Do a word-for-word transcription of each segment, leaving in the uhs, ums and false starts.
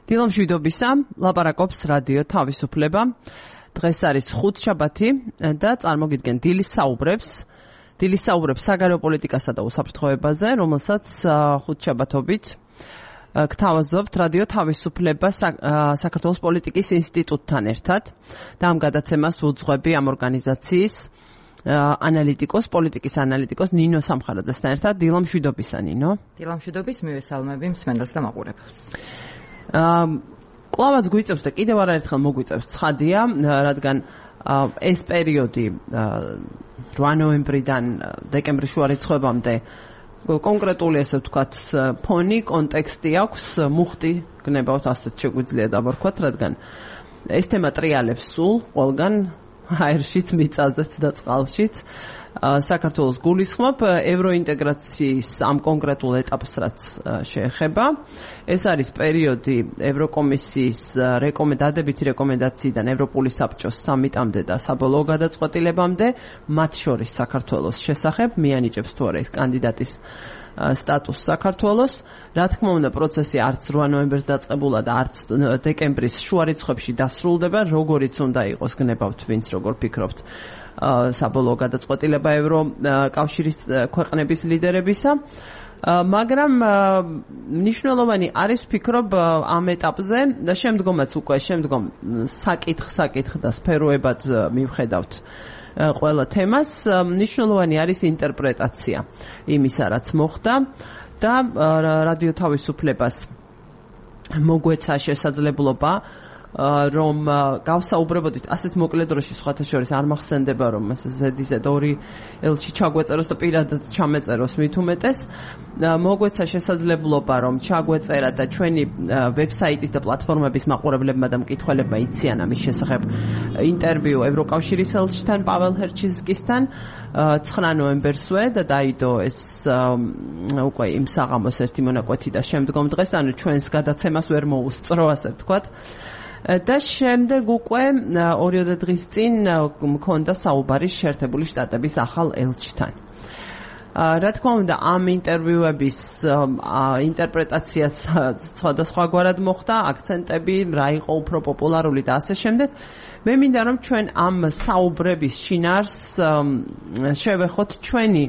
დილამშვიდობისა, ლაპარაკობს რადიო თავისუფლება. დღეს არის ხუთშაბათი და წარმოგიდგენ დილის საუბრებს. დილის საუბრებს საგარეო პოლიტიკასა და უსაფრთხოებაზე, რომელსაც ხუთშაბათობით გთავაზობთ რადიო თავისუფლება საქართველოს პოლიტიკის ინსტიტუტთან ერთად და ამ გადაცემას უძღვები ამ ორგანიზაციის ანალიტიკოს, პოლიტიკის ანალიტიკოს ნინო სამხარაძესთან ერთად. დილამშვიდობისა, ნინო. დილამშვიდობის, მივესალმები მსმენელს და მაყურებელს. კლავაც გვიწევს და კიდევ არაერთხელ მოგვიწევს ცხადია, რადგან ეს პერიოდი რვა ნოემბრიდან დეკემბრის შუა რიცხვებამდე კონკრეტული ესე ვთქვათ ფონი, კონტექსტი აქვს, მუხტი გნებავთ, ასეთ შეგვიძლია დავარქვათ, რადგან ეს თემა ტრიალებს სულ ყველგან აერშიც, მიწაზეც და წყალშიც. საქართველოს გულისხმობ ევროინტეგრაციის ამ კონკრეტულ ეტაპს, რაც შეეხება. ეს არის პერიოდი ევროკომისიის დადებითი რეკომენდაციიდან ევროპული საბჭოს სამიტამდე და საბოლოო გადაწყვეტილებამდე, მათ შორის საქართველოს შესახებ, მიანიჭებს თუ არა ეს კანდიდატის სტატუსს საქართველოს. რა თქმა უნდა, პროცესი არც რვა ნოემბერს დაწყებულა და არც დეკემბრის შუა რიცხვებში დასრულდება, როგორიც უნდა იყოს, გნებავთ ვინც როგორ ფიქრობთ, საბოლოო გადაწყვეტილება ევროკავშირის ქვეყნების ლიდერებისა. მაგრამ მნიშვნელოვანი არის ვფიქრობ ამ ეტაპზე და შემდგომაც უკვე შემდგომ საკითხ-საკითხ და სფეროებად მივხედავთ ყველა თემას. მნიშვნელოვანი არის ინტერპრეტაცია იმისა, რაც მოხდა და რადიო თავისუფლებას მოგვეცა შესაძლებლობა რომ გავსაუბრებოდით ასეთ მოკლე დროში, სხვათა შორის არ მახსენდება რომ ზედიზედ ორი ელჩი ჩაგვეწეროს და პირადად ჩამეწეროს მით უმეტეს. მოგვეცა შესაძლებლობა რომ ჩაგვეწერა და ჩვენი ვებსაიტის და პლატფორმების მაყურებლებმა და მკითხველებმა იციან ამის შესახებ ინტერვიუ ევროკავშირის ელჩთან პაվել ჰერჩინსკისთან ცხრა ნოემბერსვე და დაიდო ეს უკვე იმ საღამოს ერთი მონაკვეთი და შემდგომ დღეს, ანუ ჩვენს გადაცემას ვერ მოუსწრო, ასე ვთქვათ. და შემდეგ უკვე ორიოდე დღის წინ მქონდა საუბარი შეერთებული შტატების ახალ ელჩთან. რა თქმა უნდა, ამ ინტერვიუების ინტერპრეტაციაც სხვადასხვაგვარად მოხდა, აქცენტები, რა იყო უფრო პოპულარული და ასე შემდეგ. მე მინდა რომ ჩვენ ამ საუბრების შინაარს შევეხოთ ჩვენი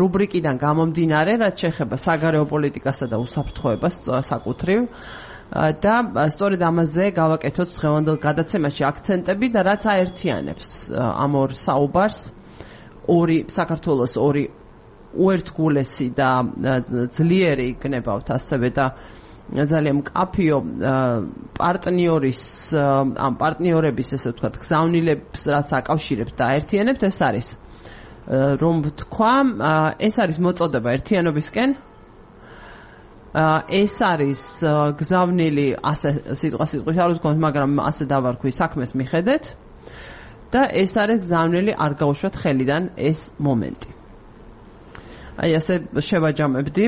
რუბრიკიდან გამომდინარე, რაც შეეხება საგარეო პოლიტიკასა და უსაფრთხოებას საკუთრივ. და სწორედ ამაზე გავაკეთოთ დღევანდელ გადაცემაში აქცენტები და რაც აერთიანებს ამ ორ საუბარს, ორი საქართველოს ორი უერთგულესი და ძლიერი გნებავთ ასევე და ძალიან მკაფიო პარტნიორის ამ პარტნიორების ესე ვთქვათ გზავნილებს, რაც აკავშირებთ და აერთიანებთ, ეს არის რომ ვთქვა, ეს არის მოწოდება ერთიანობისკენ. ეს არის გზავნილი, ასე სიტყვა სიტყვით არ ვთქვათ, მაგრამ ასე დავარქვი, საქმეს მიხედეთ და ეს არის გზავნილი არ გაუშვათ ხელიდან ეს მომენტი. აი ასე შევაჯამებდი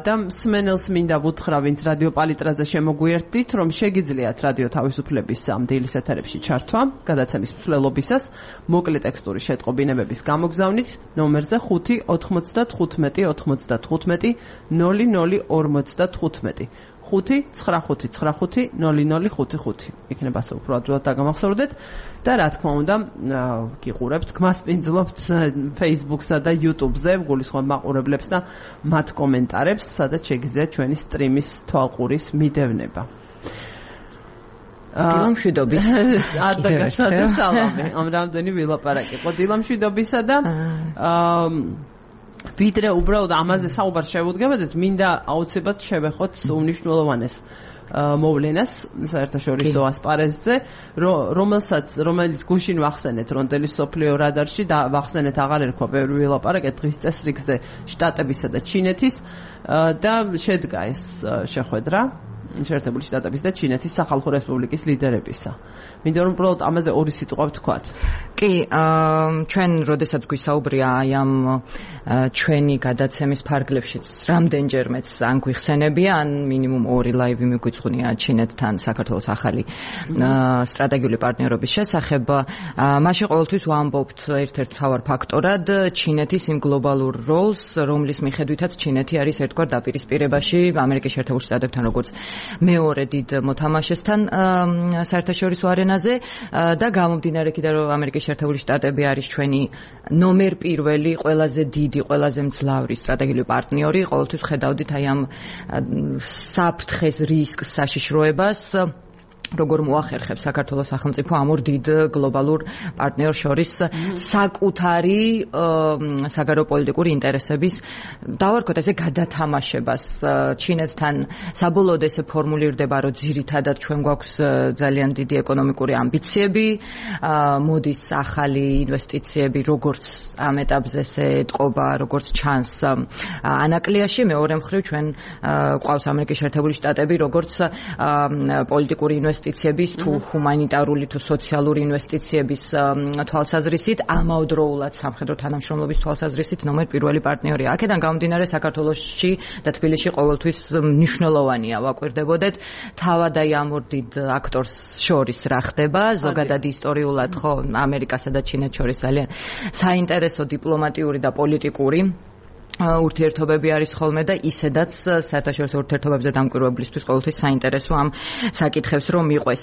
და მსმენელს მინდა ვუთხრა, ვინც რადიო პალიტრაზე შემოგვიერთდით, რომ შეგიძლიათ რადიო თავისუფლების ამ დილის ეთერებში ჩართვა გადაცემის მსვლელობისას მოკლე ტექსტური შეტყობინებების გამოგზავნით ნომერზე ხუთი ოთხმოცდათხუთმეტი ოთხმოცდათხუთმეტი ნული ნული ორმოცდათხუთმეტი ხუთი ცხრა ხუთი ცხრა ხუთი ნული ნული ხუთი ხუთი. იქნება ასე უფრო ადვილად დაგამახსოვრდეთ და რა თქმა უნდა გიყურებთ, გმასპინძლობთ Facebook-სა და YouTube-ზე გულისხმობ მაყურებლებს და მათ კომენტარებს, სადაც შეგიძლიათ ჩვენი სტრიმის თვალყურის მიდევნება. დილამშვიდობის. ადაგასა სალამი. ამ რამდენი ვილაპარაკი. ყო დილამშვიდობისა და ვიდრე უბრალოდ ამაზე საუბარს შევუდგებოდეთ, მინდა აუცილებლად შევეხოთ უმნიშვნელოვანეს მოვლენას საერთაშორისო ასპარეზზე, რომელსაც რომელიც გუშინ ვახსენეთ რონდელის სოფლიო რადარში და ვახსენეთ აღარ ერქვა ბევრი ვილაპარაკეთ დღის წესრიგზე შტატებისა და ჩინეთის და შედგა ეს შეხვედრა შეერთებული შტატების და ჩინეთის სახალხო რესპუბლიკის ლიდერებისა. მინდა რომ უბრალოდ ამაზე ორი სიტყვა ვთქვათ. კი, ჩვენ როდესაც გვისაუბრია აი ამ ჩვენი გადაცემის ფარგლებშიც რამდენჯერმეც ან გვიხსენებია, ან მინიმუმ ორი ლაივი მიგვიძღვნია ჩინეთთან საქართველოს ახალი სტრატეგიული პარტნიორობის შესახებ. მაშინ ყოველთვის ვამბობთ ერთ-ერთ მთავარ ფაქტორად ჩინეთის იმ გლობალურ როლს, რომლის მიხედვითაც ჩინეთი არის ერთგვარ დაპირისპირებაში ამერიკის შეერთებულ შტატებთან, როგორც მეორე დიდ მოთამაშესთან საერთაშორისო არენაზე და გამომდინარე კიდე რომ ამერიკის შეერთებული შტატები არის ჩვენი ნომერ პირველი, ყველაზე დიდი, ყველაზე მძლავრი სტრატეგიული პარტნიორი, ყოველთვის ხედავდით აი ამ საფრთხეს, რისკს, საშიშროებას როგორ მოახერხებს საქართველოს სახელმწიფო ამ ორ დიდ გლობალურ პარტნიორს შორის საკუთარი საგარეო პოლიტიკური ინტერესების დავარქოთ ესე გადათამაშებას ჩინეთთან საბოლოოდ ესე ფორმულირდება რომ ძირითადად ჩვენ გვაქვს ძალიან დიდი ეკონომიკური ამბიციები მოდის ახალი ინვესტიციები როგორც ამ ეტაპზე ესე ეთყობა როგორც ჩანს ანაკლიაში მეორე მხრივ ჩვენ გვყავს ამერიკის შეერთებული შტატები როგორც პოლიტიკური ინვესტიციები ინვესტიციების თუ ჰუმანიტარული თუ სოციალური ინვესტიციების თვალსაზრისით ამავდროულად სამხედრო თანამშრომლობის თვალსაზრისით ნომერ პირველი პარტნიორია. აქედან გამომდინარე საქართველოში და თბილისში ყოველთვის მნიშვნელოვანია ვაკვირდებოდეთ თავად აი ამ ორ დიდ აქტორს შორის რა ხდება ზოგადად ისტორიულად ხო ამერიკასა და ჩინეთს შორის ძალიან საინტერესო დიპლომატიური და პოლიტიკური ურთიერთობები არის ხოლმე და ისედაც საერთაშორისო ურთიერთობებზე დამკვირვებლისთვის ყოველთვის საინტერესო ამ საკითხებს რომ მიყვეს.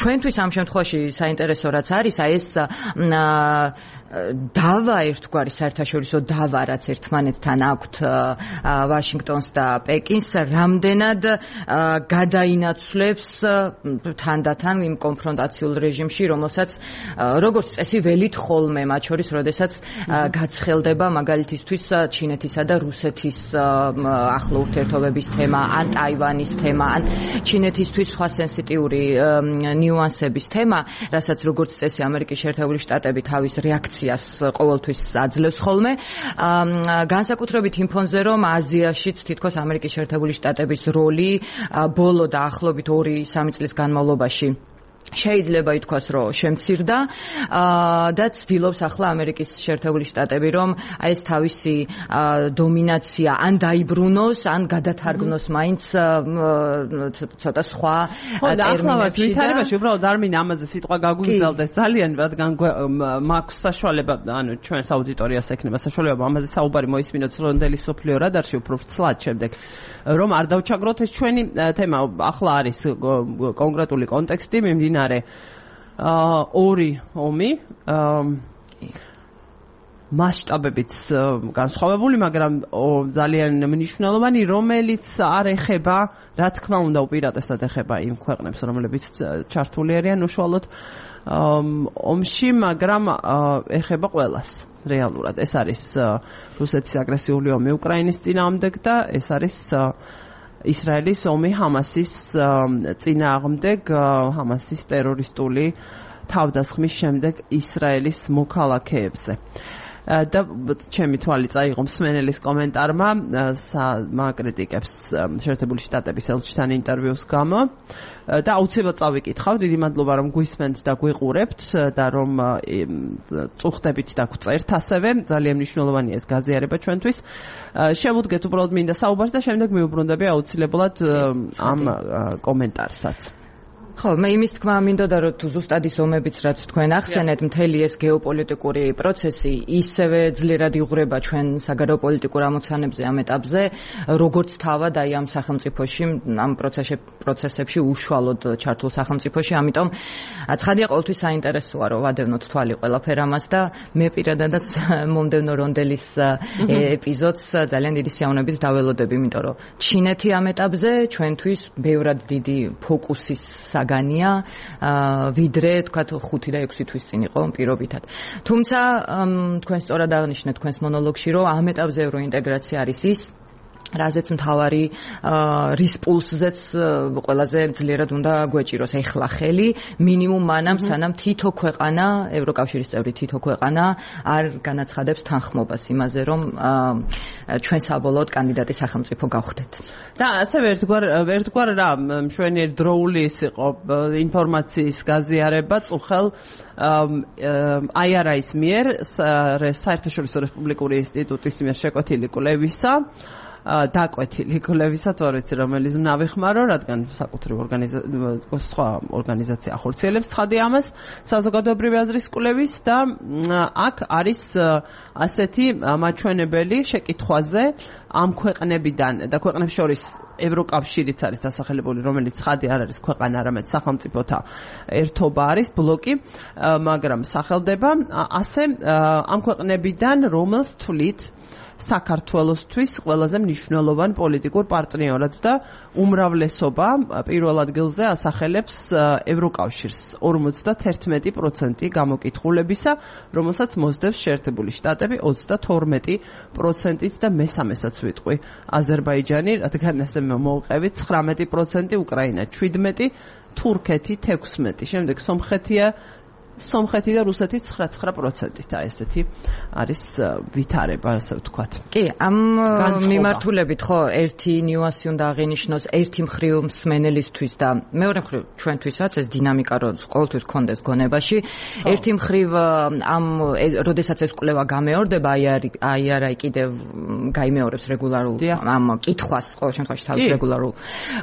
ჩვენთვის ამ შემთხვევაში საინტერესო რაც არის, აი ეს დავა ერთგვარი საერთაშორისო დავა რაც ერთმანეთთან აქვთ ვაშინგტონს და პეკინს რამდენად გადაინაცვლებს თანდათან იმ კონფრონტაციულ რეჟიმში რომელსაც როგორც წესი ველით ხოლმე მათ შორის როდესაც გაცხელდება მაგალითისთვის ჩინეთისა და რუსეთის ახლო ურთიერთობების თემა ან ტაივანის თემა ან ჩინეთისთვის სხვა სენსიტიური ნიუანსების თემა რასაც როგორც წესი ამერიკის შეერთებული შტატები თავის რეაქციას ყოველთვის აძლევს ხოლმე განსაკუთრებით იმ ფონზე რომ აზიაშიც თითქოს ამერიკის შეერთებული შტატების როლი ბოლო და ახლობით ორი სამი წლის განმავლობაში შეიძლება ითქვას რომ შემცირდა და ცდილობს ახლა ამერიკის შეერთებული შტატები რომ აი ეს თავისი დომინაცია ან დაიბრუნოს ან გადათარგმნოს მაინც ცოტა სხვა ტერმინებში და ვითარებაში უბრალოდ არ მინდა ამაზე სიტყვა გაგვიგზავდეს ძალიან რადგან მაქვს საშუალება ანუ ჩვენს აუდიტორიას ექნება საშუალება ამაზე საუბარი მოისმინოთ რონდელის სოფლიო რადარში უფრო ცლად შემდეგ რომ არ დავჩაგროთ ეს ჩვენი თემა ახლა არის კონკრეტული კონტექსტი მიმდინარე ორი ომი მასშტაბებით განსხვავებული, მაგრამ ძალიან მნიშვნელოვანი, რომელიც არ ეხება, რა თქმა უნდა, უპირატესად ეხება იმ ქვეყნებს, რომლებიც ჩართული არიან უშუალოდ ომში, მაგრამ ეხება ყველას. რეალურად ეს არის რუსეთის აგრესიული ომი უკრაინის წინააღმდეგ და ეს არის ისრაელის ომი ჰამასის წინააღმდეგ, ჰამასის ტერორისტული თავდასხმის შემდეგ ისრაელის მოქალაქეებზე. და ჩემი თვალი წაიღო მსმენელის კომენტარმა მაკრიტიკებს შეერთებული შტატების ელჩთან ინტერვიუს გამო და აუცილებლად წავიკითხავ, დიდი მადლობა რომ გვისმენთ და გვიყურებთ და რომ წუხდებით და გვწერთ ასევე, ძალიან მნიშვნელოვანია ეს გაზიარება ჩვენთვის. შევუდგეთ უბრალოდ მინდა საუბარს და შემდეგ მიუბრუნდები აუცილებლად ამ კომენტარსაც. ხო, მე იმის თქმა მინდოდა რომ თუ ზუსტად ის ომებიც რაც თქვენ ახსენეთ, მთელი ეს გეოპოლიტიკური პროცესი ისევე ძლიერად იღვრება ჩვენ საგარეო პოლიტიკურ ამოცანებზე ამ ეტაპზე, როგორც თავად აი ამ სახელმწიფოში, ამ პროცესებში უშუალოდ ჩართულ სახელმწიფოში, ამიტომ ცხადია ყოველთვის საინტერესოა რომ ვადევნოთ თვალი ყველაფერ ამას და მე პირადადაც მომდევნო რონდელის ეპიზოდს ძალიან დიდი სიამოვნებით დაველოდები, იმიტომ რომ ჩინეთი ამ ეტაპზე ჩვენთვის ბევრად დიდი ფოკუსის განია ვიდრე თქვათ ხუთი და ექვსი თვის წინ იყო პირობითად. თუმცა თქვენ სწორად აღნიშნეთ თქვენს მონოლოგში რომ ამ ეტაპზე ევროინტეგრაცია არის ის რაზეც მთავარი რის პულსზეც ყველაზე ძლიერად უნდა გვეჭიროს ეხლა ხელი მინიმუმ მანამ სანამ თითო ქვეყანა ევროკავშირის წევრი თითო ქვეყანა არ განაცხადებს თანხმობას იმაზე რომ ჩვენ საბოლოოდ კანდიდატი სახელმწიფო გავხდეთ. და ასევე ერთგვარ ერთგვარ რა მშვენიერი დროული ის იყო ინფორმაციის გაზიარება წუხელ აი არ არის მიერ საერთაშორისო რესპუბლიკური ინსტიტუტის მიერ შეკვეთილი კვლევისა დაკვეთილი კვლევისა, თუ არ ვიცი რომელიც ნავიხმარო, რადგან საკუთრივ ორგანიზაცია სხვა ორგანიზაცია ახორციელებს ცხადია ამას, საზოგადოებრივი აზრის კვლევის და აქ არის ასეთი მაჩვენებელი შეკითხვაზე ამ ქვეყნებიდან და ქვეყნებს შორის ევროკავშირიც არის დასახელებული, რომელიც ცხადი არ არის ქვეყანა, არამედ სახელმწიფოთა ერთობა არის, ბლოკი, მაგრამ სახელდება ასე ამ ქვეყნებიდან რომელს თვლით საქართველოსთვის ყველაზე მნიშვნელოვან პოლიტიკურ პარტნიორად და უმრავლესობა პირველ ადგილზე ასახელებს ევროკავშირს ორმოცდაერთმეტი პროცენტი გამოკითხულებისა, რომელსაც მოსდევს შეერთებული შტატები ოცდათორმეტი პროცენტით და მესამესაც ვიტყვი აზერბაიჯანი, რადგან ასე მოვყევით ცხრამეტი პროცენტი, უკრაინა შვიდმეტი, თურქეთი თექვსმეტი, შემდეგ სომხეთია სომხეთი და რუსეთი ცხრა პროცენტით, აი ესეთი არის ვითარება, ასე ვთქვათ. კი, ამ მიმართულებით ხო ერთი ნიუანსი უნდა აღინიშნოს ერთი მხრივ მსმენელისთვის და მეორე მხრივ ჩვენთვისაც ეს დინამიკა რომ ყოველთვის გქონდეს გონებაში. ერთი მხრივ ამ როდესაც ეს კვლევა გამეორდება, აი აი არა კიდევ გაიმეორებს რეგულარულ ამ კითხვას ყოველ შემთხვევაში თავის რეგულარულ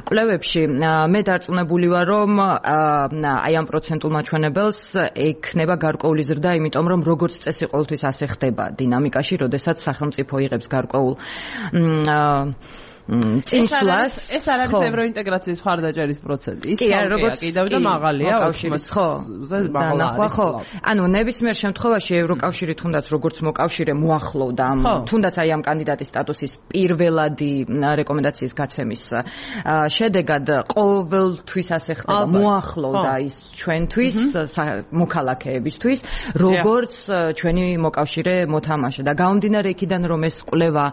კვლევებში. მე დარწმუნებული ვარ რომ აი ამ პროცენტულ მაჩვენებელს ექნება გარკვეული ზრდა, იმიტომ რომ როგორც წესი ყოველთვის ასე ხდება დინამიკაში, როდესაც სახელმწიფო იღებს გარკვეულ წინსვლას. ეს არ არის ევროინტეგრაციის მხარდაჭერის პროცენტი. ის როგორც კიდევ და მაღალია კავშირის, ხო. დანახვა, ხო. ანუ ნებისმიერ შემთხვევაში ევროკავშირი თუნდაც როგორც მოკავშირე მოახლოვდა ამ თუნდაც აი ამ კანდიდატის სტატუსის პირველადი რეკომენდაციის გაცემის შედეგად ყოველთვის ასე ხდება, მოახლოვდა ის ჩვენთვის მოქალაქეებისთვის, როგორც ჩვენი მოკავშირე მოთამაშე და გამომდინარე იქიდან რომ ეს კვლევა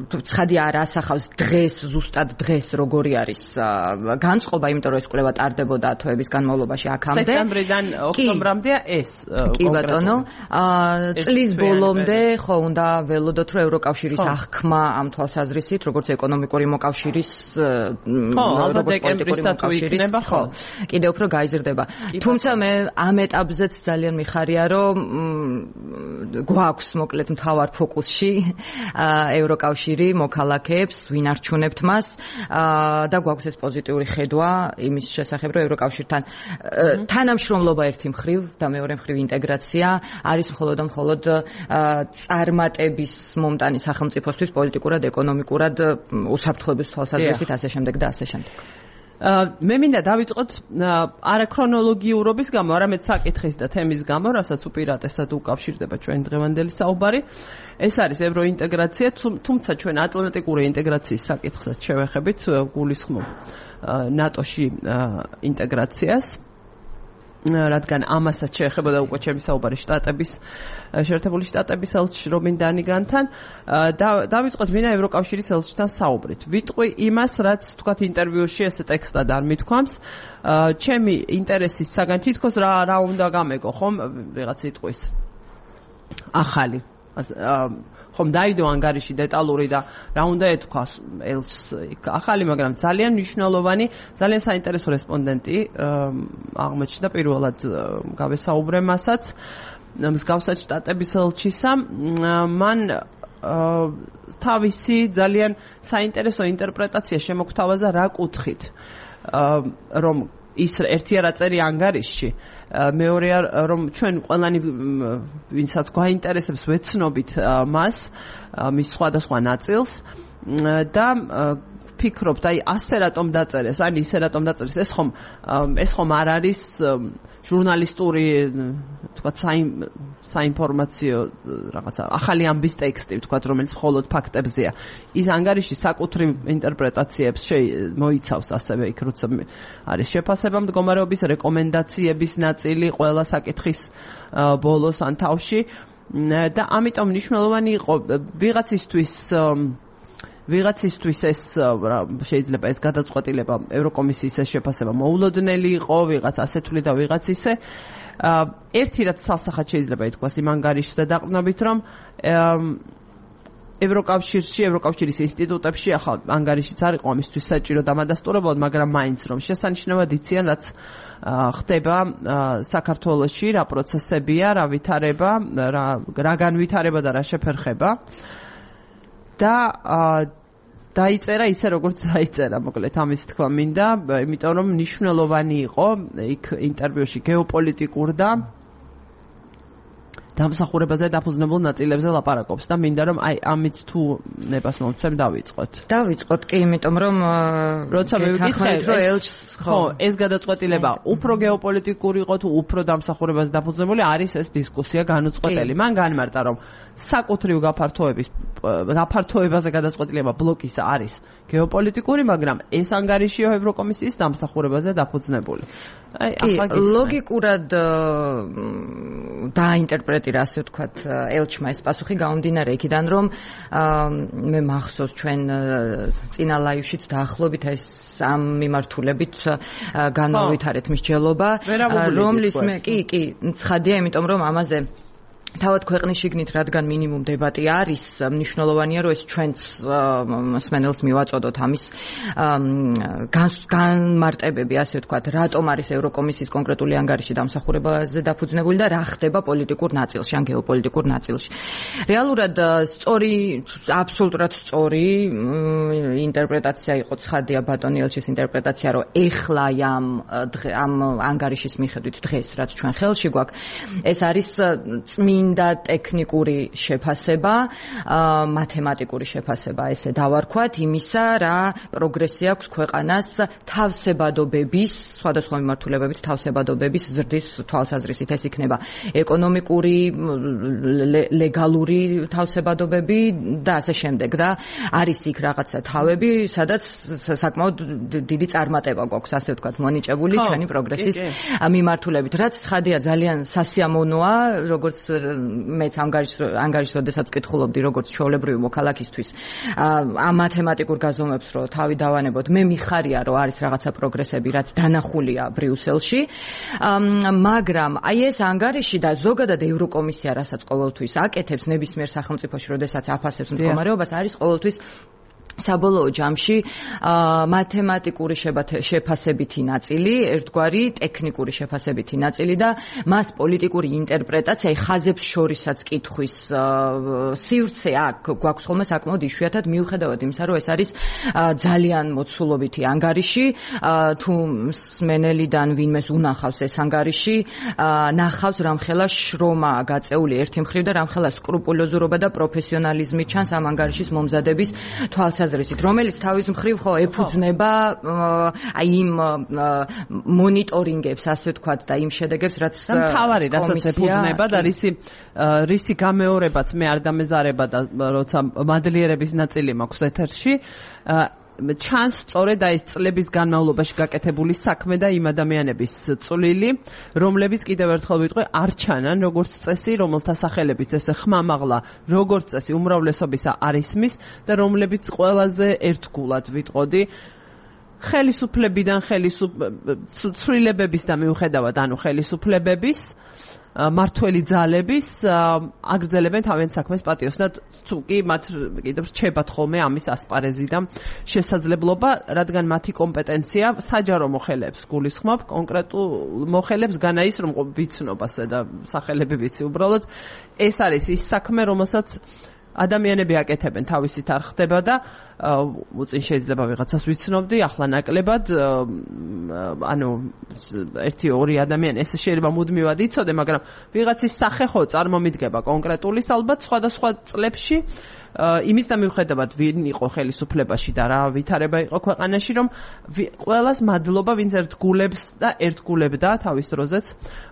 ცხადი არ ასახავს დღეს, ზუსტად დღეს როგორი არის განწყობა, იმიტომ რომ ეს კვლევა ტარდებოდა თვეების განმავლობაში აქამდე. სექტემბრიდან ოქტომბრამდეა ეს კი ბატონო, წლის ბოლომდე ხო უნდა ველოდოთ რომ ევროკავშირის აღქმა ამ თვალსაზრისით, როგორც ეკონომიკური მოკავშირის, როგორც პოლიტიკური მოკავშირის, ხო, კიდევ უფრო გაიზრდება. თუმცა მე ამ ეტაპზეც ძალიან მიხარია რომ გვაქვს მოკლედ მთავარ ფოკუსში ევროკავშირი მოქალაქეებს, ვინ არჩუნებთ მას და გვაქვს ეს პოზიტიური ხედვა იმის შესახებ, რომ ევროკავშირთან თანამშრომლობა ერთი მხრივ და მეორე მხრივ ინტეგრაცია არის მხოლოდ და მხოლოდ წარმატების მომტანი სახელმწიფოსთვის პოლიტიკურად, ეკონომიკურად, უსაფრთხოების თვალსაზრისით ასე შემდეგ და ასე შემდეგ. მე მინდა დავიწყოთ არა ქრონოლოგიურობის გამო, არამედ საკითხის და თემის გამო, რასაც უპირატესად უკავშირდება ჩვენი დღევანდელი საუბარი. ეს არის ევროინტეგრაცია, თუმცა ჩვენ ატლანტიკური ინტეგრაციის საკითხსაც შევეხებით, გულისხმობ ნატოში ინტეგრაციას, რადგან ამასაც შეეხებოდა უკვე ჩემი საუბარი შტატების შეერთებული შტატების ელჩი რობინ დანიგანთან და დავიწყოთ მინდა ევროკავშირის ელჩთან საუბრით. ვიტყვი იმას, რაც თქვათ ინტერვიუში ესე ტექსტად არ მithქვამს. ჩემი ინტერესის საგან თითქოს რა რა უნდა გამეგო, ხომ ვიღაც იტყვის ახალი ხომ დაიდო ანგარიში დეტალური და რა უნდა ეთქვას ელს ახალი, მაგრამ ძალიან მნიშვნელოვანი, ძალიან საინტერესო რესპონდენტი აღმოჩნდა პირველად გავესაუბრე მასაც მსგავსად შტატების ელჩისა. მან თავისი ძალიან საინტერესო ინტერპრეტაცია შემოგთავაზა რა კუთხით, რომ ის ერთი არა წერი ანგარიშში, მეორეა რომ ჩვენ ყველანი ვინცაც გვაინტერესებს ვეცნობით მას, მის სხვადასხვა ნაწილს და ვფიქრობთ, აი ასე რატომ დაწერეს, ან ისე რატომ დაწერეს, ეს ხომ ეს ხომ არ არის ჟურნალისტური, თქვათ, საინფორმაციო რაღაცა ახალი ამბის ტექსტი, თქვათ, რომელიც მხოლოდ ფაქტებზეა. ის ანგარიში საკუთრივ ინტერპრეტაციებს მოიცავს, ასევე იქ როცა არის შეფასება მდგომარეობის რეკომენდაციების ნაწილი ყველა საკითხის ბოლოს ან თავში და ამიტომ მნიშვნელოვანი იყო ვიღაცისთვის ვიღაცისთვის ეს შეიძლება ეს გადაწყვეტილება ევროკომისიის ეს შეფასება მოულოდნელი იყო, ვიღაც ასეთული და ვიღაც ისე. ერთი რაც სასახად შეიძლება ითქვას იმ ანგარიშზე დაყრდნობით, რომ ევროკავშირში, ევროკავშირის ინსტიტუტებში ახალ ანგარიშიც არ იყო ამისთვის საჭირო დამადასტურებლად, მაგრამ მაინც რომ შესანიშნავად იციან, რაც ხდება საქართველოში, რა პროცესებია, რა ვითარება, რა რა განვითარება და რა შეფერხება. და დაიწერა ისე როგორც დაიწერა, მოკლედ ამის თქვა მინდა, იმიტომ რომ მნიშვნელოვანი იყო იქ ინტერვიუში გეოპოლიტიკურ და დამსახურებაზე დაფუძნებულ ნაწილებზე ლაპარაკობს და მინდა რომ აი ამით თუ ნებას მომცემ დავიწყოთ. დავიწყოთ კი, იმიტომ რომ როცა მივიკითხეთ რომ ელჩს ხო, ეს გადაწყვეტილება უფრო გეოპოლიტიკური იყო თუ უფრო დამსახურებაზე დაფუძნებული არის ეს დისკუსია განუწყვეტელი. მან განმარტა რომ საკუთრივ გაფართოების გაფართოებაზე გადაწყვეტილება ბლოკის არის გეოპოლიტიკური, მაგრამ ეს ანგარიშია ევროკომისიის დამსახურებაზე დაფუძნებული. აი, ახლა ლოგიკურად დაინტერპრეტირა, ასე ვთქვათ, ელჩმა ეს პასუხი გამომდინარე იქიდან, რომ მე მახსოვს ჩვენ წინა ლაივშიც დაახლოებით ეს ამ მიმართულებით განმოვითარეთ მსჯელობა, რომლის მე კი, კი, ცხადია, იმიტომ რომ ამაზე თავად ქვეყნის შიგნით, რადგან მინიმუმ დებატი არის, მნიშვნელოვანია, რომ ეს ჩვენც მსმენელს მივაწოდოთ ამის განმარტებები, ასე ვთქვათ, რატომ არის ევროკომისიის კონკრეტული ანგარიში დამსახურებაზე დაფუძნებული და რა ხდება პოლიტიკურ ნაწილში, ან გეოპოლიტიკურ ნაწილში. რეალურად სწორი, აბსოლუტურად სწორი ინტერპრეტაცია იყო, ცხადია ბატონი ელჩის ინტერპრეტაცია, რომ ეხლა ამ ამ ანგარიშის მიხედვით დღეს, რაც ჩვენ ხელში გვაქვს, ეს არის წმინდა ტექნიკური შეფასება, მათემატიკური შეფასება, ესე დავარქვათ, იმისა, რა პროგრესი აქვს ქვეყანას თავსებადობების, სხვადასხვა მიმართულებებით თავსებადობების ზრდის თვალსაზრისით. ეს იქნება ეკონომიკური, ლეგალური თავსებადობები და ასე შემდეგ. და არის იქ რაღაცა თავები, სადაც საკმაოდ დიდი წარმატება გვაქვს, ასე ვთქვათ, მონიჭებული ჩვენი პროგრესის მიმართულებით. რაც ცხადია ძალიან სასიამოვნოა, როგორც მეც ანგარიშს როდესაც ვკითხულობდი, როგორც ჩვეულებრივი მოქალაქისთვის, ამ მათემატიკურ გაზომვებს რო თავი დავანებოთ, მე მიხარია, რომ არის რაღაცა პროგრესები, რაც დანახულია ბრიუსელში, მაგრამ აი ეს ანგარიში და ზოგადად ევროკომისია, რასაც ყოველთვის აკეთებს ნებისმიერ სახელმწიფოში, როდესაც აფასებს მდგომარეობას, არის ყოველთვის საბოლოო ჯამში მათემატიკური შეფასებითი ნაწილი, ერთგვარი ტექნიკური შეფასებითი ნაწილი და მას პოლიტიკური ინტერპრეტაცია, ხაზებს შორისაც კითხვის სივრცე აქ გვაქვს ხოლმე საკმაოდ იშვიათად, მიუხედავად იმისა, რომ ეს არის ძალიან მოცულობითი ანგარიში, თუ მსმენელიდან ვინმეს უნახავს ეს ანგარიში, ნახავს რამხელა შრომა გაწეული ერთი მხრივ და რამხელა სკრუპულოზურობა და პროფესიონალიზმი ჩანს ამ ანგარიშის მომზადების თვალსაზრისით, რომელიც თავის მხრივ ხო ეფუძნება აი იმ მონიტორინგებს, ასე ვთქვათ, და იმ შედეგებს, რაც მთავარი, რასაც ეფუძნება და რისი რისი გამეორებაც მე არ დამეზარება და როცა მადლიერების ნაწილი მაქვს ეთერში, ჩანს სწორედ აი ეს წლების განმავლობაში გაკეთებული საქმე და იმ ადამიანების წვლილი, რომლებიც კიდევ ერთხელ ვიტყვი, არ ჩანან როგორც წესი, რომელთა სახელებიც ესე ხმამაღლა როგორც წესი უმრავლესობისა არ ისმის და რომლებიც ყველაზე ერთგულად ვიტყოდი ხელისუფლებიდან ხელისუფლებების და მიუხედავად ანუ ხელისუფლებების მართველი ძალების აგრძელებენ თავიანთ საქმეს პატიოს და თუ კი მათ კიდევ რჩებათ ხოლმე ამის ასპარეზი და შესაძლებლობა, რადგან მათი კომპეტენცია საჯარო მოხელეებს გულისხმობ, კონკრეტულ მოხელეებს განა ის რომ ვიცნობასა და სახელები ვიცი, უბრალოდ ეს არის ის საქმე, რომელსაც ადამიანები აკეთებენ, თავისით არ ხდება და უწინ შეიძლება ვიღაცას ვიცნობდი, ახლა ნაკლებად, ანუ ერთი ორი ადამიანი ესე შეიძლება მუდმივად იცოდე, მაგრამ ვიღაცის სახე ხო წარმომიდგება კონკრეტულის, ალბათ სხვადასხვა წლებში იმის და მიუხედავად ვინ იყო ხელისუფლებაში და რა ვითარება იყო ქვეყანაში, რომ ყველას მადლობა, ვინც ერთგულებს და ერთგულებდა თავის დროზეც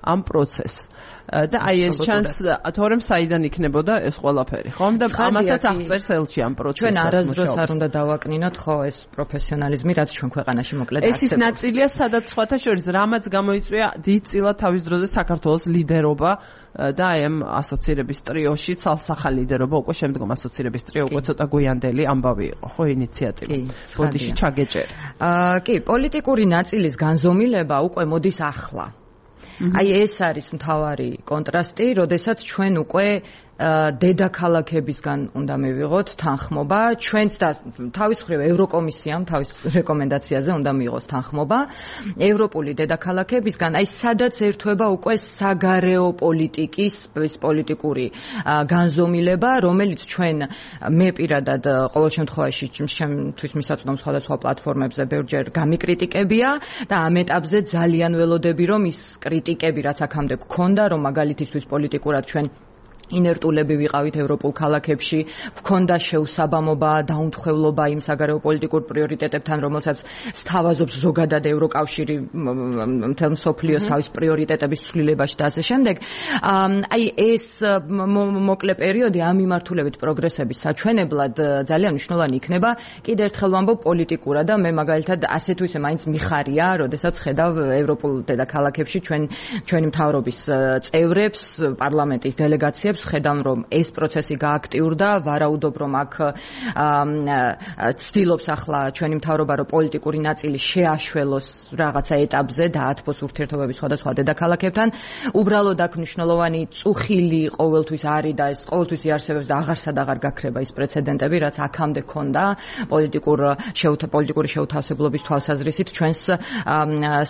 ამ პროცესს. და აი ეს ჩანს, თორემ საიდან იქნებოდა ეს ყველაფერი, ხომ? და ამასაც აღწერს ელჩი ამ პროცესს. ჩვენ არასდროს არ უნდა დავაკნინოთ ხო ეს პროფესიონალიზმი, რაც ჩვენ ქვეყანაში მოკლედ არსებობს. ეს ის ნაწილია, სადაც სხვათა შორის რამაც გამოიწვია დიდწილად თავის დროზე საქართველოს ლიდერობა და აი ამ ასოცირების ტრიოში, ცალსახა ლიდერობა, უკვე შემდგომ ასოცირების ტრიო უკვე ცოტა გვიანდელი ამბავი იყო, ხო, ინიციატივა. ბოდიში ჩაგეჭერა. აა კი, პოლიტიკური ნაწილის განზომილება უკვე მოდის ახლა. აი ეს არის მთავარი კონტრასტი, როდესაც ჩვენ უკვე დედაქალაქებისგან უნდა მივიღოთ თანხმობა, ჩვენც და თავის მხრივ ევროკომისიამ თავის რეკომენდაციაზე უნდა მიიღოს თანხმობა ევროპული დედაქალაქებისგან, აი სადაც ერთვება უკვე საგარეო პოლიტიკის ეს პოლიტიკური განზომილება, რომელიც ჩვენ მე პირადად ყოველ შემთხვევაში ჩემთვის მისაწვდომ სხვადასხვა პლატფორმებზე ბევრჯერ გამიკრიტიკებია და ამ ეტაპზე ძალიან ველოდები, რომ ის კრიტიკები, რაც აქამდე გქონდა, რომ მაგალითისთვის პოლიტიკურად ჩვენ ინერტულები ვიყავით ევროპულ ქალაქებში, გქონდა შეუსაბამობა, დაუნთხევლობა იმ საგარეო პოლიტიკურ პრიორიტეტებთან, რომელსაც სთავაზობს ზოგადად ევროკავშირი მთელ მსოფლიოს თავის პრიორიტეტების ცვლილებაში და ასე შემდეგ. აი ეს მოკლე პერიოდი ამ მიმართულებით პროგრესების საჩვენებლად ძალიან მნიშვნელოვანი იქნება. კიდევ ერთხელ ვამბობ პოლიტიკურად და მე მაგალითად ასე თუ ისე მაინც მიხარია, როდესაც ხედავ ევროპულ დედაქალაქებში ჩვენ ჩვენი მთავრობის წევრებს, პარლამენტის დელეგაციებს ხედავ, რომ ეს პროცესი გააქტიურდა, ვარაუდობ, რომ აქ ცდილობს ახლა ჩვენი მთავრობა, რომ პოლიტიკური ნაწილი შეაშველოს რაღაცა ეტაპზე და ათბოს ურთიერთობების სხვადასხვა დედაქალაქებთან. უბრალოდ აქ მნიშვნელოვანი წუხილი ყოველთვის არის და ეს ყოველთვის იარსებებს და აღარსად აღარ გაქრება ის პრეცედენტები, რაც აქამდე ქონდა პოლიტიკურ პოლიტიკური შეუთავსებლობის თვალსაზრისით ჩვენს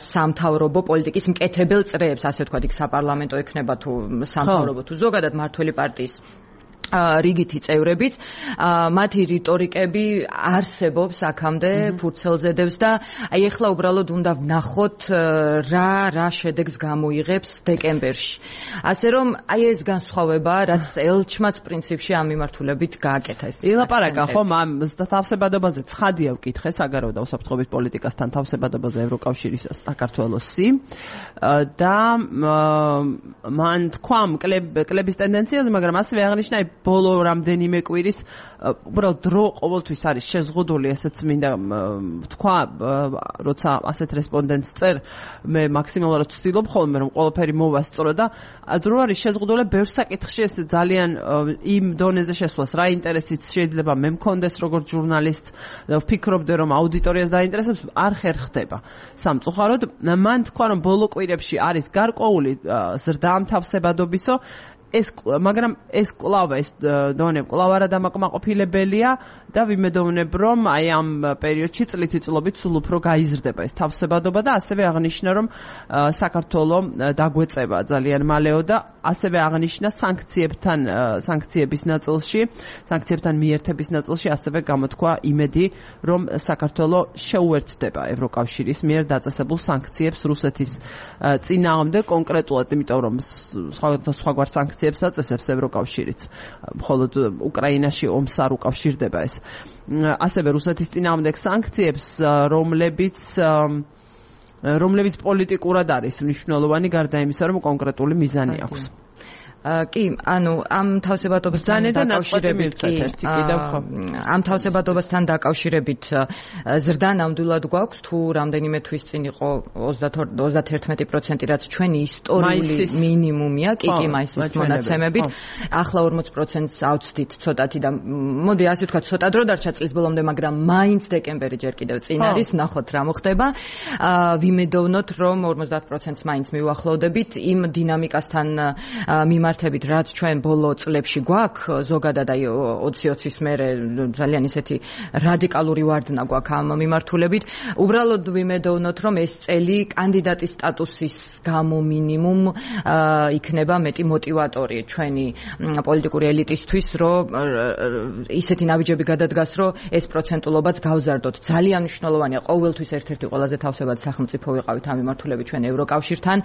სამთავრობო პოლიტიკის მკეთებელ წრეებს, ასე ვთქვათ, იქ საპარლამენტო ექნება თუ სამთავრობო თუ ზოგადად მართველი პარტიის რიგითი წევრებიც, მათი რიტორიკები არსებობს აქამდე ფურცელზე დევს და აი ახლა უბრალოდ უნდა ვნახოთ რა რა შედეგს გამოიღებს დეკემბერში. ასე რომ აი ეს განსხვავება, რაც ელჩმაც პრინციპში ამ მიმართულებით გააკეთა ეს. ილაპარაკა ხომ ამ თავსებადობაზე ცხადია ვკითხე საგარეო და უსაფრთხოების პოლიტიკასთან თავსებადობაზე ევროკავშირის საქართველოსი და მან თქვა კლების ტენდენციაზე, მაგრამ ასევე აღნიშნა ბოლო რამდენიმე კვირის უბრალოდ დრო ყოველთვის არის შეზღუდული, ესეც მინდა თქვა, როცა ასეთ რესპონდენტს წერ, მე მაქსიმალურად ვცდილობ ხოლმე, რომ ყველაფერი მოვასწრო და დრო არის შეზღუდული ბევრ საკითხში, ეს ძალიან იმ დონეზე შესვლას, რა ინტერესიც შეიძლება მე მქონდეს როგორც ჟურნალისტ, ვფიქრობდე, რომ აუდიტორიას დაინტერესებს, არ ხერხდება სამწუხაროდ. მან თქვა, რომ ბოლო კვირებში არის გარკვეული ზრდა ამ თავსებადობისო, ეს მაგრამ ეს კვლავ ეს დონე კვლავ არა დამაკმაყოფილებელია და ვიმედოვნებ, რომ აი ამ პერიოდში წლითი-წლობით სულ უფრო გაიზრდება ეს თავსებადობა და ასევე აღნიშნა, რომ საქართველოს დაგვეწება ძალიან მალეო და ასევე აღნიშნა სანქციებთან სანქციების ნაწილში, სანქციებთან მიერთების ნაწილში ასევე გამოთქვა იმედი, რომ საქართველოს შეუერთდება ევროკავშირის მიერ დაწესებულ სანქციებს რუსეთის წინააღმდეგ კონკრეტულად, იმიტომ რომ სხვაგვარ სანქციებს აწესებს ევროკავშირიც, მხოლოდ უკრაინაში ომს არ უკავშირდება ეს. ასევე რუსეთის წინააღმდეგ სანქციებს, რომლებიც რომლებიც პოლიტიკურად არის მნიშვნელოვანი, გარდა იმისა, რომ კონკრეტული მიზანი აქვს. კი, ანუ ამ თავსებადობასთან დაკავშირებით კი ამ თავსებადობასთან დაკავშირებით ზრდა ნამდვილად გვაქვს, თუ რამდენიმე თვის წინ იყო ოცდაათი პროცენტი, რაც ჩვენი ისტორიული მინიმუმია, კი, კი, მაისის მონაცემებით. ახლა ორმოც პროცენტს ავწდით ცოტათი და მოდი ასე ვთქვათ, ცოტა დრო დარჩა წლის ბოლომდე, მაგრამ მაინც დეკემბერი ჯერ კიდევ წინ არის, ნახოთ რა მოხდება. ვიმედოვნოთ, რომ ორმოცდაათ პროცენტს მაინც მივახლოვდებით იმ დინამიკასთან მიმართ მართებით, რაც ჩვენ ბოლო წლებში გვაქვს, ზოგადად აი ოცი ოცის მერე ძალიან ისეთი რადიკალური ვარდნა გვაქვს ამ მიმართულებით. უბრალოდ ვიმედოვნოთ, რომ ეს წელი კანდიდატის სტატუსის გამო მინიმუმ იქნება მეტი მოტივატორი ჩვენი პოლიტიკური ელიტისთვის, რომ ისეთი ნაბიჯები გადადგას, რომ ეს პროცენტულობაც გავზარდოთ. ძალიან მნიშვნელოვანია, ყოველთვის ერთ-ერთი ყველაზე თავსებადი სახელმწიფო ვიყავით ამ მიმართულებით ჩვენ ევროკავშირთან,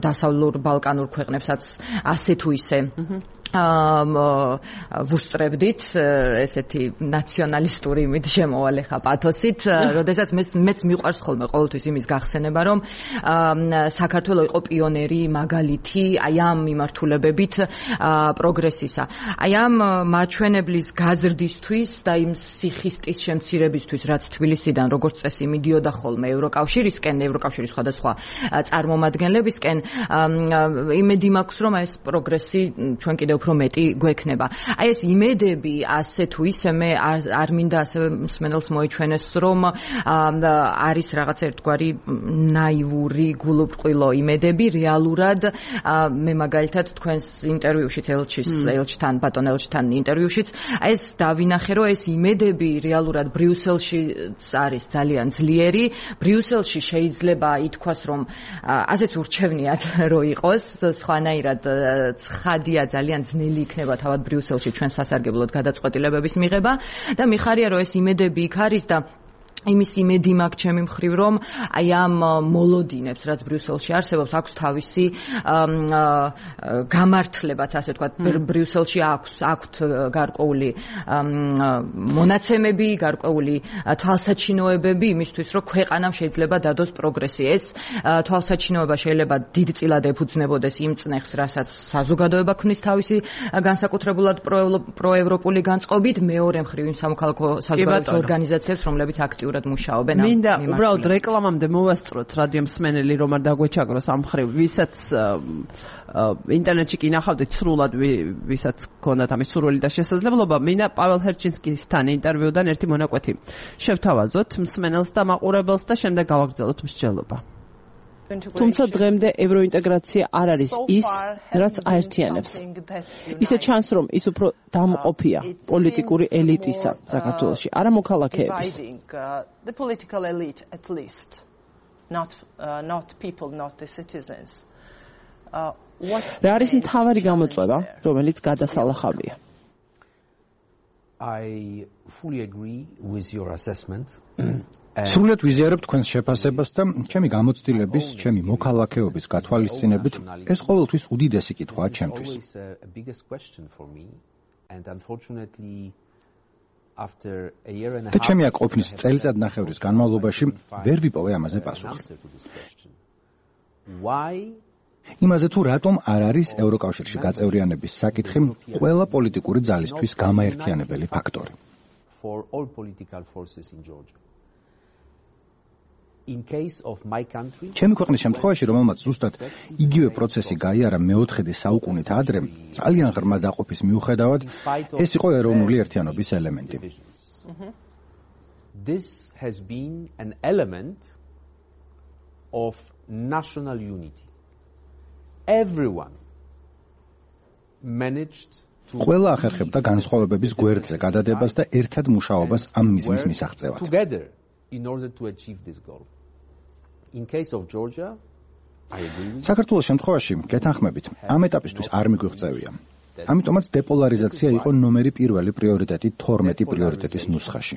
დასავლურ ბალკანურ ქვეყნებსაც ასე თუ ისე ვუსწრებდით ესეთი ნაციონალისტური იმით შემოვალე ხა პათოსით, როდესაც მეც მიყვარს ხოლმე ყოველთვის იმის გახსენება, რომ საქართველოს იყო პიონერი მაგალითი აი ამ მიმართულებებით პროგრესისა. აი ამ მაჩვენებლის გაზრდისთვის და იმ სიხისტის შემცირებისთვის, რაც თბილისიდან როგორც წესი მიდიოდა ხოლმე ევროკავშირისკენ, ევროკავშირის სხვადასხვა წარმომადგენლებისკენ, იმედი მაქვს, რომ ეს პროგრესი ჩვენ კიდევ უფრო მეტი გვექნება. აი ეს იმედები ასე თუ ისე მე არ მინდა ასევე მსმენელს მოიჩვენეს რომ არის რაღაც ერთგვარი ნაივური გულუბრყვილო იმედები რეალურად მე მაგალითად თქვენს ინტერვიუშიც ელჩის ელჩთან ბატონ ელჩთან ინტერვიუშიც აი ეს დავინახე რომ ეს იმედები რეალურად ბრიუსელში არის ძალიან ძლიერი ბრიუსელში შეიძლება ითქვას რომ ასეც ურჩევნიათ რო იყოს სხვანაირად ცხადია ძალიან ძნელი იქნება თავად ბრიუსელში ჩვენ სასარგებლოდ გადაწყვეტილებების მიღება და მიხარია რომ ეს იმედები იქ არის და იმის იმედი მაქვს ჩემი მხრივ რომ აი ამ მოლოდინებს რაც ბრიუსელში არსებობს აქვს თავისი გამართლებაც ასე ვთქვათ ბრიუსელში აქვს აქვთ გარკვეული მონაცემები გარკვეული თვალსაჩინოებები იმისთვის რომ ქვეყანამ შეიძლება დადოს პროგრესი ეს თვალსაჩინოება შეიძლება დიდწილად ეფუძნებოდეს იმ წნეხს რასაც საზოგადოება ქმნის თავისი განსაკუთრებულად პროევროპული განწყობით მეორე მხრივ იმ სამოქალაქო საზოგადოების ორგანიზაციებს რომლებიც აქტიურად მუშაობენ ამ მინდა უბრალოდ რეკლამამდე მოვასწროთ რადიო მსმენელი რომ არ დაგვეჩაგროს ამ მხრივ ვისაც ინტერნეტში კი ნახავდით სრულად ვისაც გქონდათ ამის სურვილი და შესაძლებლობა მინდა პაվել ჰერჩინსკისთან ინტერვიუდან ერთი მონაკვეთი შევთავაზოთ მსმენელს და მაყურებელს და შემდეგ გავაგრძელოთ მსჯელობა თუმცა დღემდე ევროინტეგრაცია არ არის ის, რაც აერთიანებს. ისე ჩანს, რომ ის უფრო დამყოფია პოლიტიკური ელიტისა საქართველოში, არა მოქალაქეების. რა არის მთავარი გამოწვევა, რომელიც გადასალახავია? I fully agree with your assessment. სრულად ვიზიარებ თქვენს შეფასებას და ჩემი გამოცდილების, ჩემი მოქალაქეობის გათვალისწინებით ეს ყოველთვის უდიდესი კითხვაა ჩემთვის. და ჩემი აქ ყოფნის წელიწადნახევრის განმავლობაში ვერ ვიპოვე ამაზე პასუხი. იმაზე თუ რატომ არ არის ევროკავშირში გაწევრიანების საკითხი ყველა პოლიტიკური ძალისთვის გამაერთიანებელი ფაქტორი. For all political forces in Georgia. In case of my country, ჩემი ქვეყნის შემთხვევაში, რომელმაც ზუსტად იგივე პროცესი გაიარა მეოთხედი საუკუნით ადრე, ძალიან ღრმა დაყოფის მიუხედავად, ეს იყო ეროვნული ერთიანობის ელემენტი. This has been an element of national unity. Everyone managed ყველა ახერხებდა განსხვავებების გვერდზე გადადებას და ერთად მუშაობას ამ მიზნის მისაღწევად. Together in order to achieve this goal. In case of Georgia, I agree. საქართველოს შემთხვევაში გეთანხმებით, ამ ეტაპისთვის არ მიგვიღწევია. ამიტომაც დეპოლარიზაცია იყო ნომერი პირველი პრიორიტეტი თორმეტი პრიორიტეტის ნუსხაში,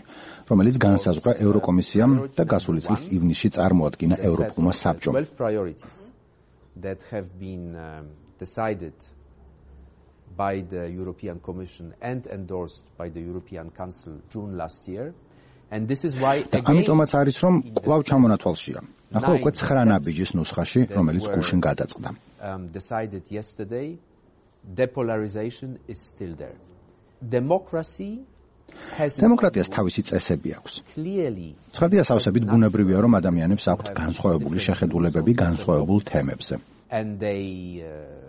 რომელიც განსაზღვრა ევროკომისიამ და გასული წლის ივნისში წარმოადგინა ევროპულმა საბჭომ. twelve priorities that have been um, decided by the European Commission and endorsed by the European Council June last year. And this is why again ამიტომაც არის რომ კვლავ ჩამონათვალშია. ახლა უკვე ცხრა ნაბიჯის ნუსხაში, რომელიც გუშინ გადაწყდა. Um, decided yesterday, depolarization is still there. Democracy has დემოკრატიას თავისი წესები აქვს. clearly ცხადია სავსებით ბუნებრივია რომ ადამიანებს აქვთ განსხვავებული შეხედულებები განსხვავებულ თემებზე. And they uh,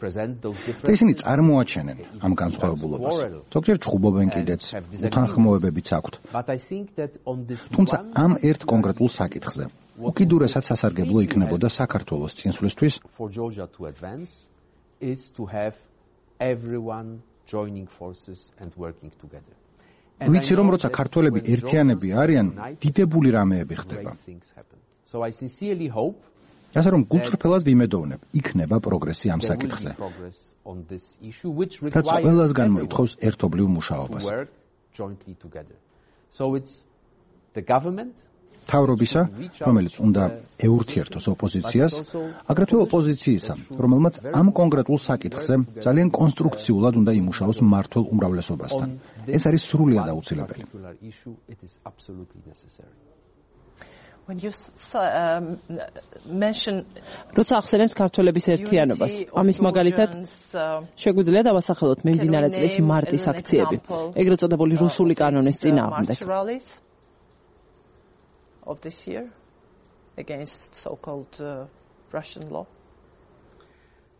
და ისინი წარმოაჩენენ ამ განსხვავებულობას. ზოგჯერ ჩხუბობენ კიდეც, უთანხმოებებიც აქვთ. თუმცა ამ ერთ კონკრეტულ საკითხზე უკიდურესად სასარგებლო იქნებოდა საქართველოს წინსვლისთვის ვიცი რომ როცა ქართველები ერთიანები არიან, დიდებული რამეები ხდება. ასე რომ გულწრფელად ვიმედოვნებ, იქნება პროგრესი ამ საკითხზე. რაც ყველას განმოითხოვს ერთობლივ მუშაობას. მთავრობისა, რომელიც უნდა ეურთიერთოს ოპოზიციას, აგრეთვე ოპოზიციისა, რომელმაც ამ კონკრეტულ საკითხზე ძალიან კონსტრუქციულად უნდა იმუშაოს მმართველ უმრავლესობასთან. ეს არის სრულიად აუცილებელი. When you um, mention როცა ახსენებთ ქართველების ერთიანობას, ამის მაგალითად შეგვიძლია დავასახელოთ მიმდინარე წლის მარტის აქციები, ეგრეთ წოდებული რუსული კანონის წინააღმდეგ. Of this year against so-called uh, Russian law.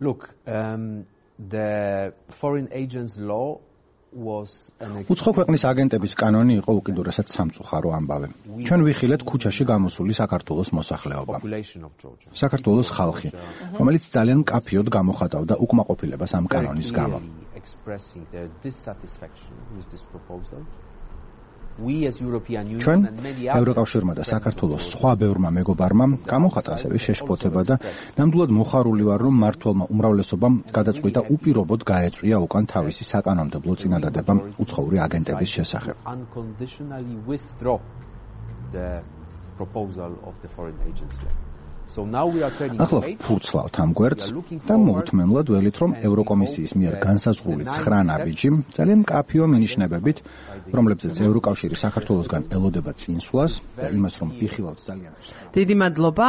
Look, um, the foreign agents law was an უცხო ქვეყნის აგენტების კანონი იყო უკიდურესად სამწუხარო ამბავი. ჩვენ ვიხილეთ ქუჩაში გამოსული საქართველოს მოსახლეობა. საქართველოს ხალხი, რომელიც ძალიან მკაფიოდ გამოხატავდა უკმაყოფილებას ამ კანონის გამო. ჩვენ ევროკავშირმა და საქართველოს სხვა ბევრმა მეგობარმა გამოხატა ასევე შეშფოთება და ნამდვილად მოხარული ვარ, რომ მმართველმა უმრავლესობამ გადაწყვიტა უპირობოდ გაეწვია უკან თავისი საკანონმდებლო წინადადება უცხოური აგენტების შესახებ. ახლა ფურცლავთ ამ გვერდს და მოუთმენლად ველით, რომ ევროკომისიის მიერ განსაზღვრული ცხრა ნაბიჯი ძალიან მკაფიო მინიშნებებით, რომლებზეც ევროკავშირი საქართველოსგან ელოდება წინსვლას და იმას, რომ ვიხილავთ ძალიან. დიდი მადლობა.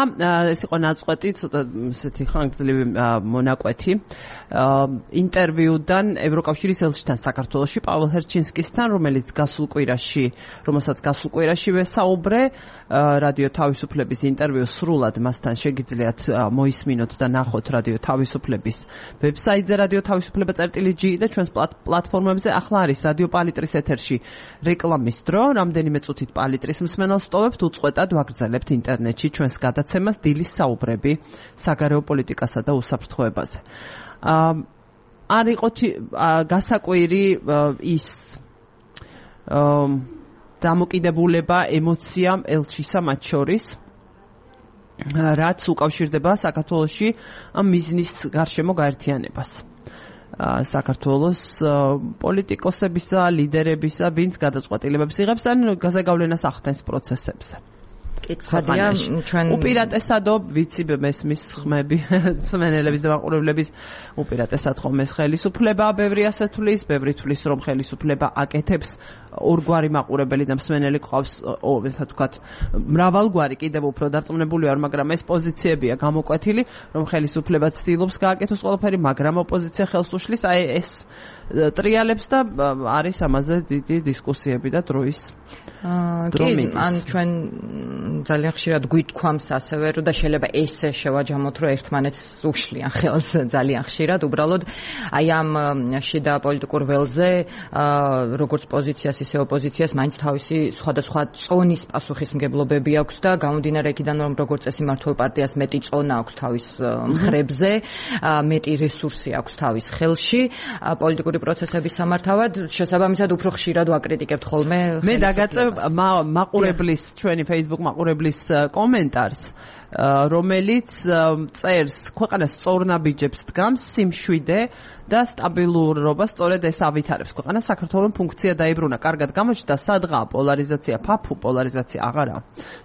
ეს იყო ნაწყვეტი, ცოტა ესეთი ხანგრძლივი მონაკვეთი ინტერვიუდან ევროკავშირის ელჩთან საქართველოში პავლო ჰერჩინსკისთან, რომელიც გასულ კვირაში, რომელსაც გასულ კვირაში ვესაუბრე, რადიო თავისუფლების ინტერვიუ სრულად მასთან შეგიძლიათ მოისმინოთ და ნახოთ რადიო თავისუფლების ვებსაიტზე რადიო თავისუფლება წერტილი ჯი და ჩვენს პლატფორმებზე. ახლა არის რადიო პალიტრის ეთერში რეკლამის დრო. რამდენიმე წუთით პალიტრის მსმენელს ვტოვებთ, უწყვეტად ვაგრძელებთ ინტერნეტში ჩვენს გადაცემას დილის საუბრები საგარეო პოლიტიკასა და უსაფრთხოებაზე. არ იყო გასაკვირი ის დამოკიდებულება ემოციამ ელჩისა მათ შორის, რაც უკავშირდება საქართველოში ამ მიზნის გარშემო გაერთიანებას. საქართველოს პოლიტიკოსებისა, ლიდერებისა, ვინც გადაწყვეტილებებს იღებს ან გაზეგავლენას ახდენს პროცესებზე. კითხადია ჩვენ უპირატესადო ვიცი მესმის ხმები მსმენელების და მაყურებლების უპირატესად ხომ ეს ხელისუფლება ბევრი ასე თulis, ბევრი თulis რომ ხელისუფლება აკეთებს ორგვარი მაყურებელი და მსმენელი ყავს, ესე ვთქვათ, მრავალგვარი კიდევ უფრო დარწმუნებული ვარ, მაგრამ ეს პოზიციებია გამოკვეთილი, რომ ხელისუფლება ცდილობს გააკეთოს ყველაფერი, მაგრამ ოპოზიცია ხელს უშლის, აი ეს ტრიალებს და არის ამაზე დიდი დისკუსიები და დროის დრომინის. ან ჩვენ ძალიან ხშირად გვითქვამს ასევე, რომ და შეიძლება ესე შევაჯამოთ, რომ ერთმანეთს უშლიან ხელს ძალიან ხშირად, უბრალოდ აი ამ შიდა პოლიტიკურ ველზე, როგორც პოზიციას, ისე ოპოზიციას მაინც თავისი სხვადასხვა წონის პასუხისმგებლობები აქვს და გამომდინარე იქიდან, რომ როგორც წესი მმართველ პარტიას მეტი წონა აქვს თავის მხრებზე, მეტი რესურსი აქვს თავის ხელში, პოლიტიკური პროცესების სამართავად, შესაბამისად უფრო ხშირად ვაკრიტიკებთ ხოლმე. მე დაგაწევ მაყურებლის, ჩვენი Facebook მაყურებლის კომენტარს, რომელიც წერს, ქვეყანას სწორნაბიჯებს დგამს სიმშვიდე და სტაბილურობა სწორედ ეს ავითარებს. ქვეყანას საქართველოს ფუნქცია დაიბრუნა, კარგად გამოჩნდა სადღაა პოლარიზაცია, ფაფუ პოლარიზაცია აღარა.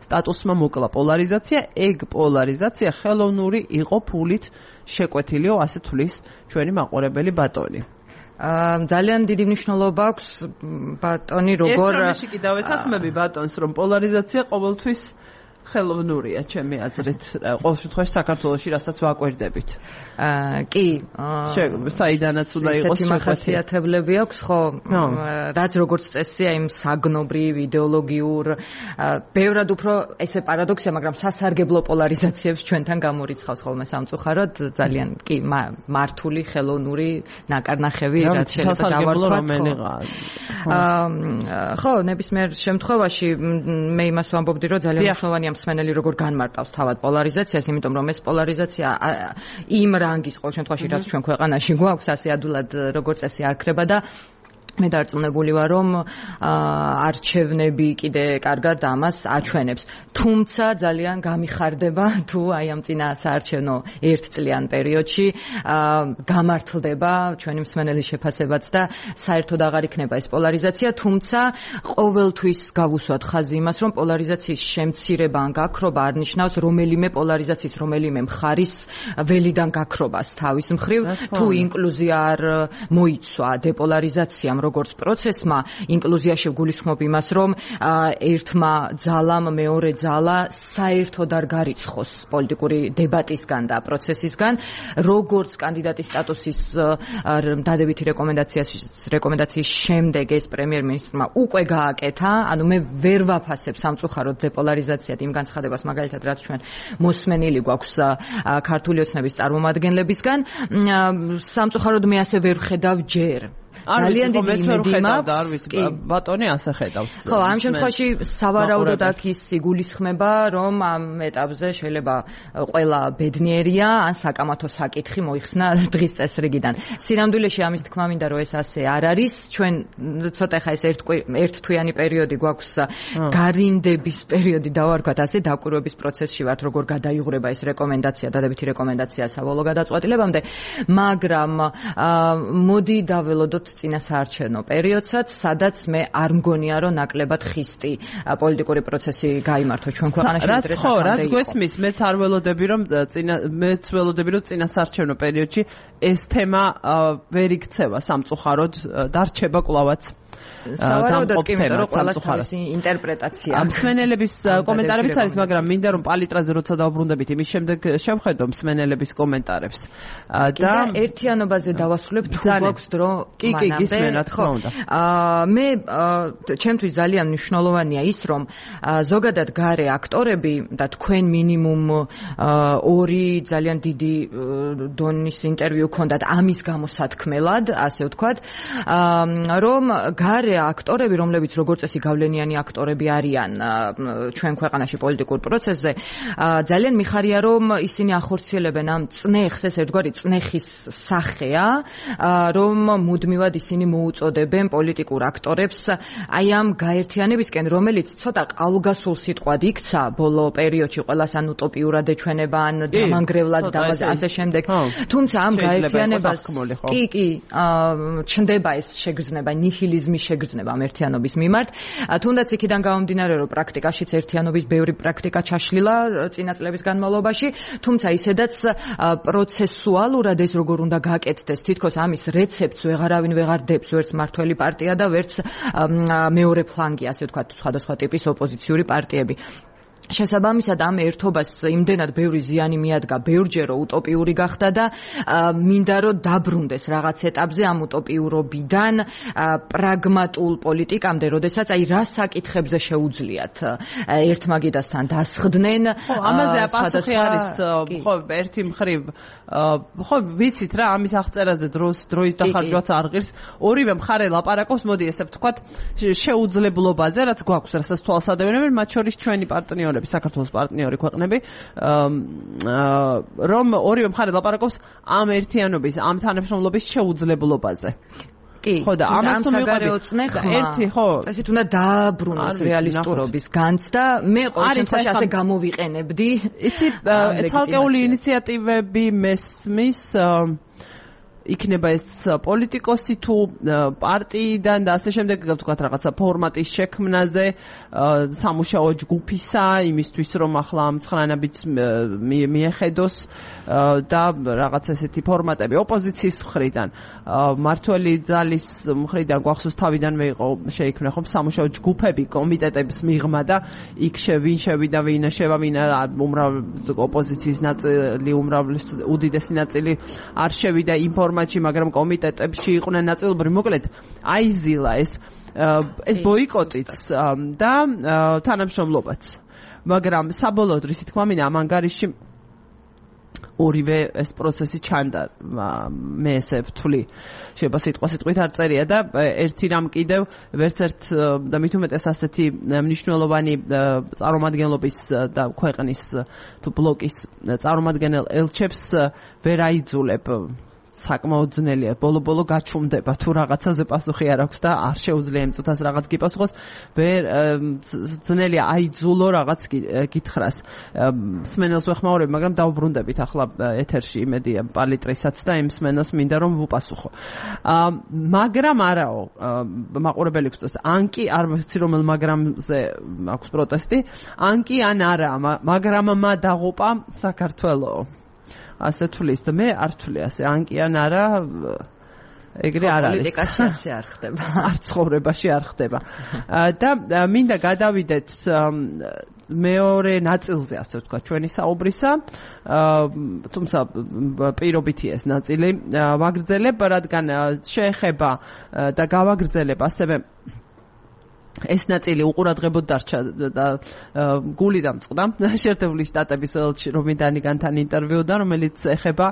სტატუსმა მოკლა პოლარიზაცია, ეგ პოლარიზაცია ხელოვნური იყო, ფულით შეკვეთილიო, ასე თulis ჩვენი მაყურებელი ბატონი. ძალიან დიდი მნიშვნელობა აქვს ბატონი როგორ ეს კიდევ ეთანხმები ბატონს, რომ პოლარიზაცია ყოველთვის ხელოვნურია, ჩემი აზრით, ყოველ შემთხვევაში საქართველოში რასაც ვაკვირდებით. კი, საიდანაც უნდა იყოს შეხასიათებლები აქვს, ხო, რაც როგორც წესია იმ საგნობრივ იდეოლოგიურ, ბევრად უფრო ესე პარადოქსია, მაგრამ სასარგებლო პოლარიზაციებს ჩვენთან გამორიცხავს ხოლმე სამწუხაროდ, ძალიან კი მართული ხელოვნური ნაკარნახევი, რაც შეიძლება დავარქვათ. ხო, ნებისმიერ შემთხვევაში მე იმას ვამბობდი, რომ ძალიან მნიშვნელოვანია მსმენელი როგორ განმარტავს თავად პოლარიზაციას, იმიტომ რომ ეს პოლარიზაცია იმ რანგის ყოველ შემთხვევაში რაც ჩვენ ქვეყანაში გვაქვს, ასე ადულად როგორც წესი არ ქრება და მე დარწმუნებული ვარ, რომ არჩევნები კიდე კარგად ამას აჩვენებს. თუმცა ძალიან გამიხარდება თუ აი ამ წინა საარჩევნო ერთწლიან პერიოდში გამართლდება ჩვენი მსმენელის შეფასებაც და საერთოდ აღარ იქნება ეს პოლარიზაცია, თუმცა ყოველთვის გავუსვათ ხაზი იმას, რომ პოლარიზაციის შემცირება ან გაქრობა არ ნიშნავს რომელიმე პოლარიზაციის რომელიმე მხარის ველიდან გაქრობას თავის მხრივ, თუ ინკლუზია არ მოიცვა დეპოლარიზაციამ, როგორც პროცესმა, ინკლუზიაში გულისხმობ იმას, რომ ერთმა ძალამ მეორე ძალა საერთოდ არ გარიცხოს პოლიტიკური დებატისგან და პროცესისგან, როგორც კანდიდატის სტატუსის დადებითი რეკომენდაციის რეკომენდაციის შემდეგ ეს პრემიერ-მინისტრმა უკვე გააკეთა, ანუ მე ვერ ვაფასებ სამწუხაროდ დეპოლარიზაციად იმ განცხადებას, მაგალითად, რაც ჩვენ მოსმენილი გვაქვს ქართული ოცნების წარმომადგენლებისგან, სამწუხაროდ მე ასე ვერ ხედავ ჯერ. ძალიან დიდი იმედი მაქვს. ბატონი ასე ხედავს. ხო, ამ შემთხვევაში სავარაუდოდ აქ ის იგულისხმება, რომ ამ ეტაპზე შეიძლება ყველა ბედნიერია ან საკამათო საკითხი მოიხსნა დღის წესრიგიდან. სინამდვილეში ამის თქმა მინდა რომ ეს ასე არ არის. ჩვენ ცოტა ხა ეს ერთთვიანი პერიოდი გვაქვს გარინდების პერიოდი დავარქვათ ასე დაკვირვების პროცესში ვართ როგორ გადაიღურება ეს რეკომენდაცია, დადებითი რეკომენდაცია საბოლოო გადაწყვეტილებამდე, მაგრამ მოდი დაველოდოთ წინასაარჩევნო პერიოდსაც, სადაც მე არ მგონია, რომ ნაკლებად ხისტი პოლიტიკური პროცესი გაიმართოს ჩვენ ქვეყანაში. რაც ხო, რაც გვესმის, მეც არ ველოდები, რომ წინა მეც ველოდები, რომ წინასაარჩევნო პერიოდში ეს თემა ვერ იქცევა სამწუხაროდ, დარჩება კვლავაც. სავარაუდოდ კი, იმიტომ რომ ყველას თავისი ინტერპრეტაცია. მსმენელების კომენტარებიც არის, მაგრამ მინდა რომ პალიტრაზე როცა დავბრუნდებით, იმის შემდეგ შევხედო მსმენელების კომენტარებს. და ერთიანობაზე დავასრულებ თუ გვაქვს დრო მანამდე. კი, კი, გისმენ, რა თქმა უნდა. მე ჩემთვის ძალიან მნიშვნელოვანია ის, რომ ზოგადად გარე აქტორები და თქვენ მინიმუმ ორი ძალიან დიდი დონის ინტერვიუ ქონდათ ამის გამოსათქმელად, ასე ვთქვათ, რომ გარე აქტორები, რომლებიც როგორც წესი გავლენიანი აქტორები არიან ჩვენ ქვეყანაში პოლიტიკურ პროცესზე, ძალიან მიხარია, რომ ისინი ახორციელებენ ამ წნეხს, ეს ერთგვარი წნეხის სახეა, რომ მუდმივად ისინი მოუწოდებენ პოლიტიკურ აქტორებს აი ამ გაერთიანებისკენ, რომელიც ცოტა ყალგასულ სიტყვად იქცა ბოლო პერიოდში ყველას ან უტოპიურად ეჩვენება, ან დამანგრევლად და ასე შემდეგ. თუმცა ამ გაერთიანებას კი, კი, ჩნდება ეს შეგრძნება, ნიჰილიზმის შეგრძნება ამ ერთიანობის მიმართ. თუნდაც იქიდან გამომდინარე, რომ პრაქტიკაშიც ერთიანობის ბევრი პრაქტიკა ჩაშლილა წინა წლების განმავლობაში, თუმცა ისედაც პროცესუალურად ეს როგორ უნდა გაკეთდეს, თითქოს ამის რეცეპტს ვეღარავინ ვეღარ დებს, ვერც მართველი პარტია და ვერც მეორე ფლანგი, ასე ვთქვათ, სხვადასხვა ტიპის ოპოზიციური პარტიები. შესაბამისად ამ ერთობას იმდენად ბევრი ზიანი მიადგა ბევრჯერ რომ უტოპიური გახდა და მინდა რომ დაბრუნდეს რაღაც ეტაპზე ამ უტოპიურობიდან პრაგმატულ პოლიტიკამდე, როდესაც აი რა საკითხებზე შეუძლიათ ერთმაგიდასთან დასხდნენ. ხო, ამაზე პასუხი არის ხო ერთი მხრივ ხო ვიცით რა ამის აღწერაზე დროს დროის დახარჯვაც არ ღირს. ორივე მხარე ლაპარაკობს, მოდი ესე ვთქვათ, შეუძლებლობაზე, რაც გვაქვს, რასაც თვალსადევნებენ, მათ შორის ჩვენი პარტნიორები, საქართველოს პარტნიორი ქვეყნები, რომ ორივე მხარე ლაპარაკობს ამ ერთიანობის, ამ თანამშრომლობის შეუძლებლობაზე. ხო და ამას თუ მივყავი ერთი ხო წესით უნდა დააბრუნოს რეალისტურობის განცდა, მე ყოველ შემთხვევაში ასე გამოვიყენებდი. იცი ცალკეული ინიციატივები მესმის იქნება ეს პოლიტიკოსი თუ პარტიიდან და ასე შემდეგ, ვთქვათ, რაღაცა ფორმატის შექმნაზე, სამუშაო ჯგუფისა, იმისთვის რომ ახლა ამ ცხლანაბიც მიეხედოს და რაღაც ესეთი ფორმატები ოპოზიციის მხრიდან, მართველი ძალის მხრიდან გვახსოვს თავიდანვე იყო შეიქმნა ხომ სამუშაო ჯგუფები, კომიტეტების მიღმა და იქ შევინ შევიდა ვინ შევა ვინ უმრავ ოპოზიციის ნაწილი, უმრავლეს უდიდესი ნაწილი არ შევიდა ინფორმაციაში, მაგრამ კომიტეტებში იყვნენ ნაწილობრივ. მოკლედ აიზილა ეს ეს ბოიკოტიც და თანამშრომლობაც. მაგრამ საბოლოოდ რისი თქმა მინდა ამ ანგარიში ორივე ეს პროცესი ჩანდა, მე ესე ვთვლი, შეიძლება სიტყვა სიტყვით არ წერია და ერთი რამ კიდევ ვერც ერთ და მით უმეტეს ასეთი მნიშვნელოვანი წარმომადგენლობის და ქვეყნის თუ ბლოკის წარმომადგენელ ელჩებს ვერ აიძულებ. საკმაოდ ძნელია, ბოლო-ბოლო გაჩუმდება თუ რაღაცაზე პასუხი არ აქვს და არ შეუძლია იმ წუთას რაღაც გიპასუხოს, ვერ ძნელია აიძულო რაღაც გითხრას. მსმენელს ვეხმაურებ, მაგრამ დავბრუნდებით ახლა ეთერში იმედია პალიტრისაც და იმ მსმენელს მინდა რომ ვუპასუხო. მაგრამ არაო, მაყურებელი გვწევს, ან კი არ ვიცი რომელ მაგრამზე აქვს პროტესტი, ან კი ან არა, მაგრამმა დაღუპა საქართველო. ასე თulis და მე არ თვლი ასე, ან კი ან არა ეგრე არ არის. პოლიტიკაში ასე არ ხდება. არ ცხოვრებაში არ ხდება. და მინდა გადავიდეთ მეორე ნაწილზე, ასე ვთქვათ, ჩვენი საუბრისა. თუმცა პირობითი ეს ნაწილი ვაგრძელებ, რადგან შეეხება და გავაგრძელებ ასევე ეს ნაწილი უყურადღებოდ დარჩა და გული დამწყდა შეერთებული შტატების რომიდანიგანთან ინტერვიუდან, რომელიც ეხება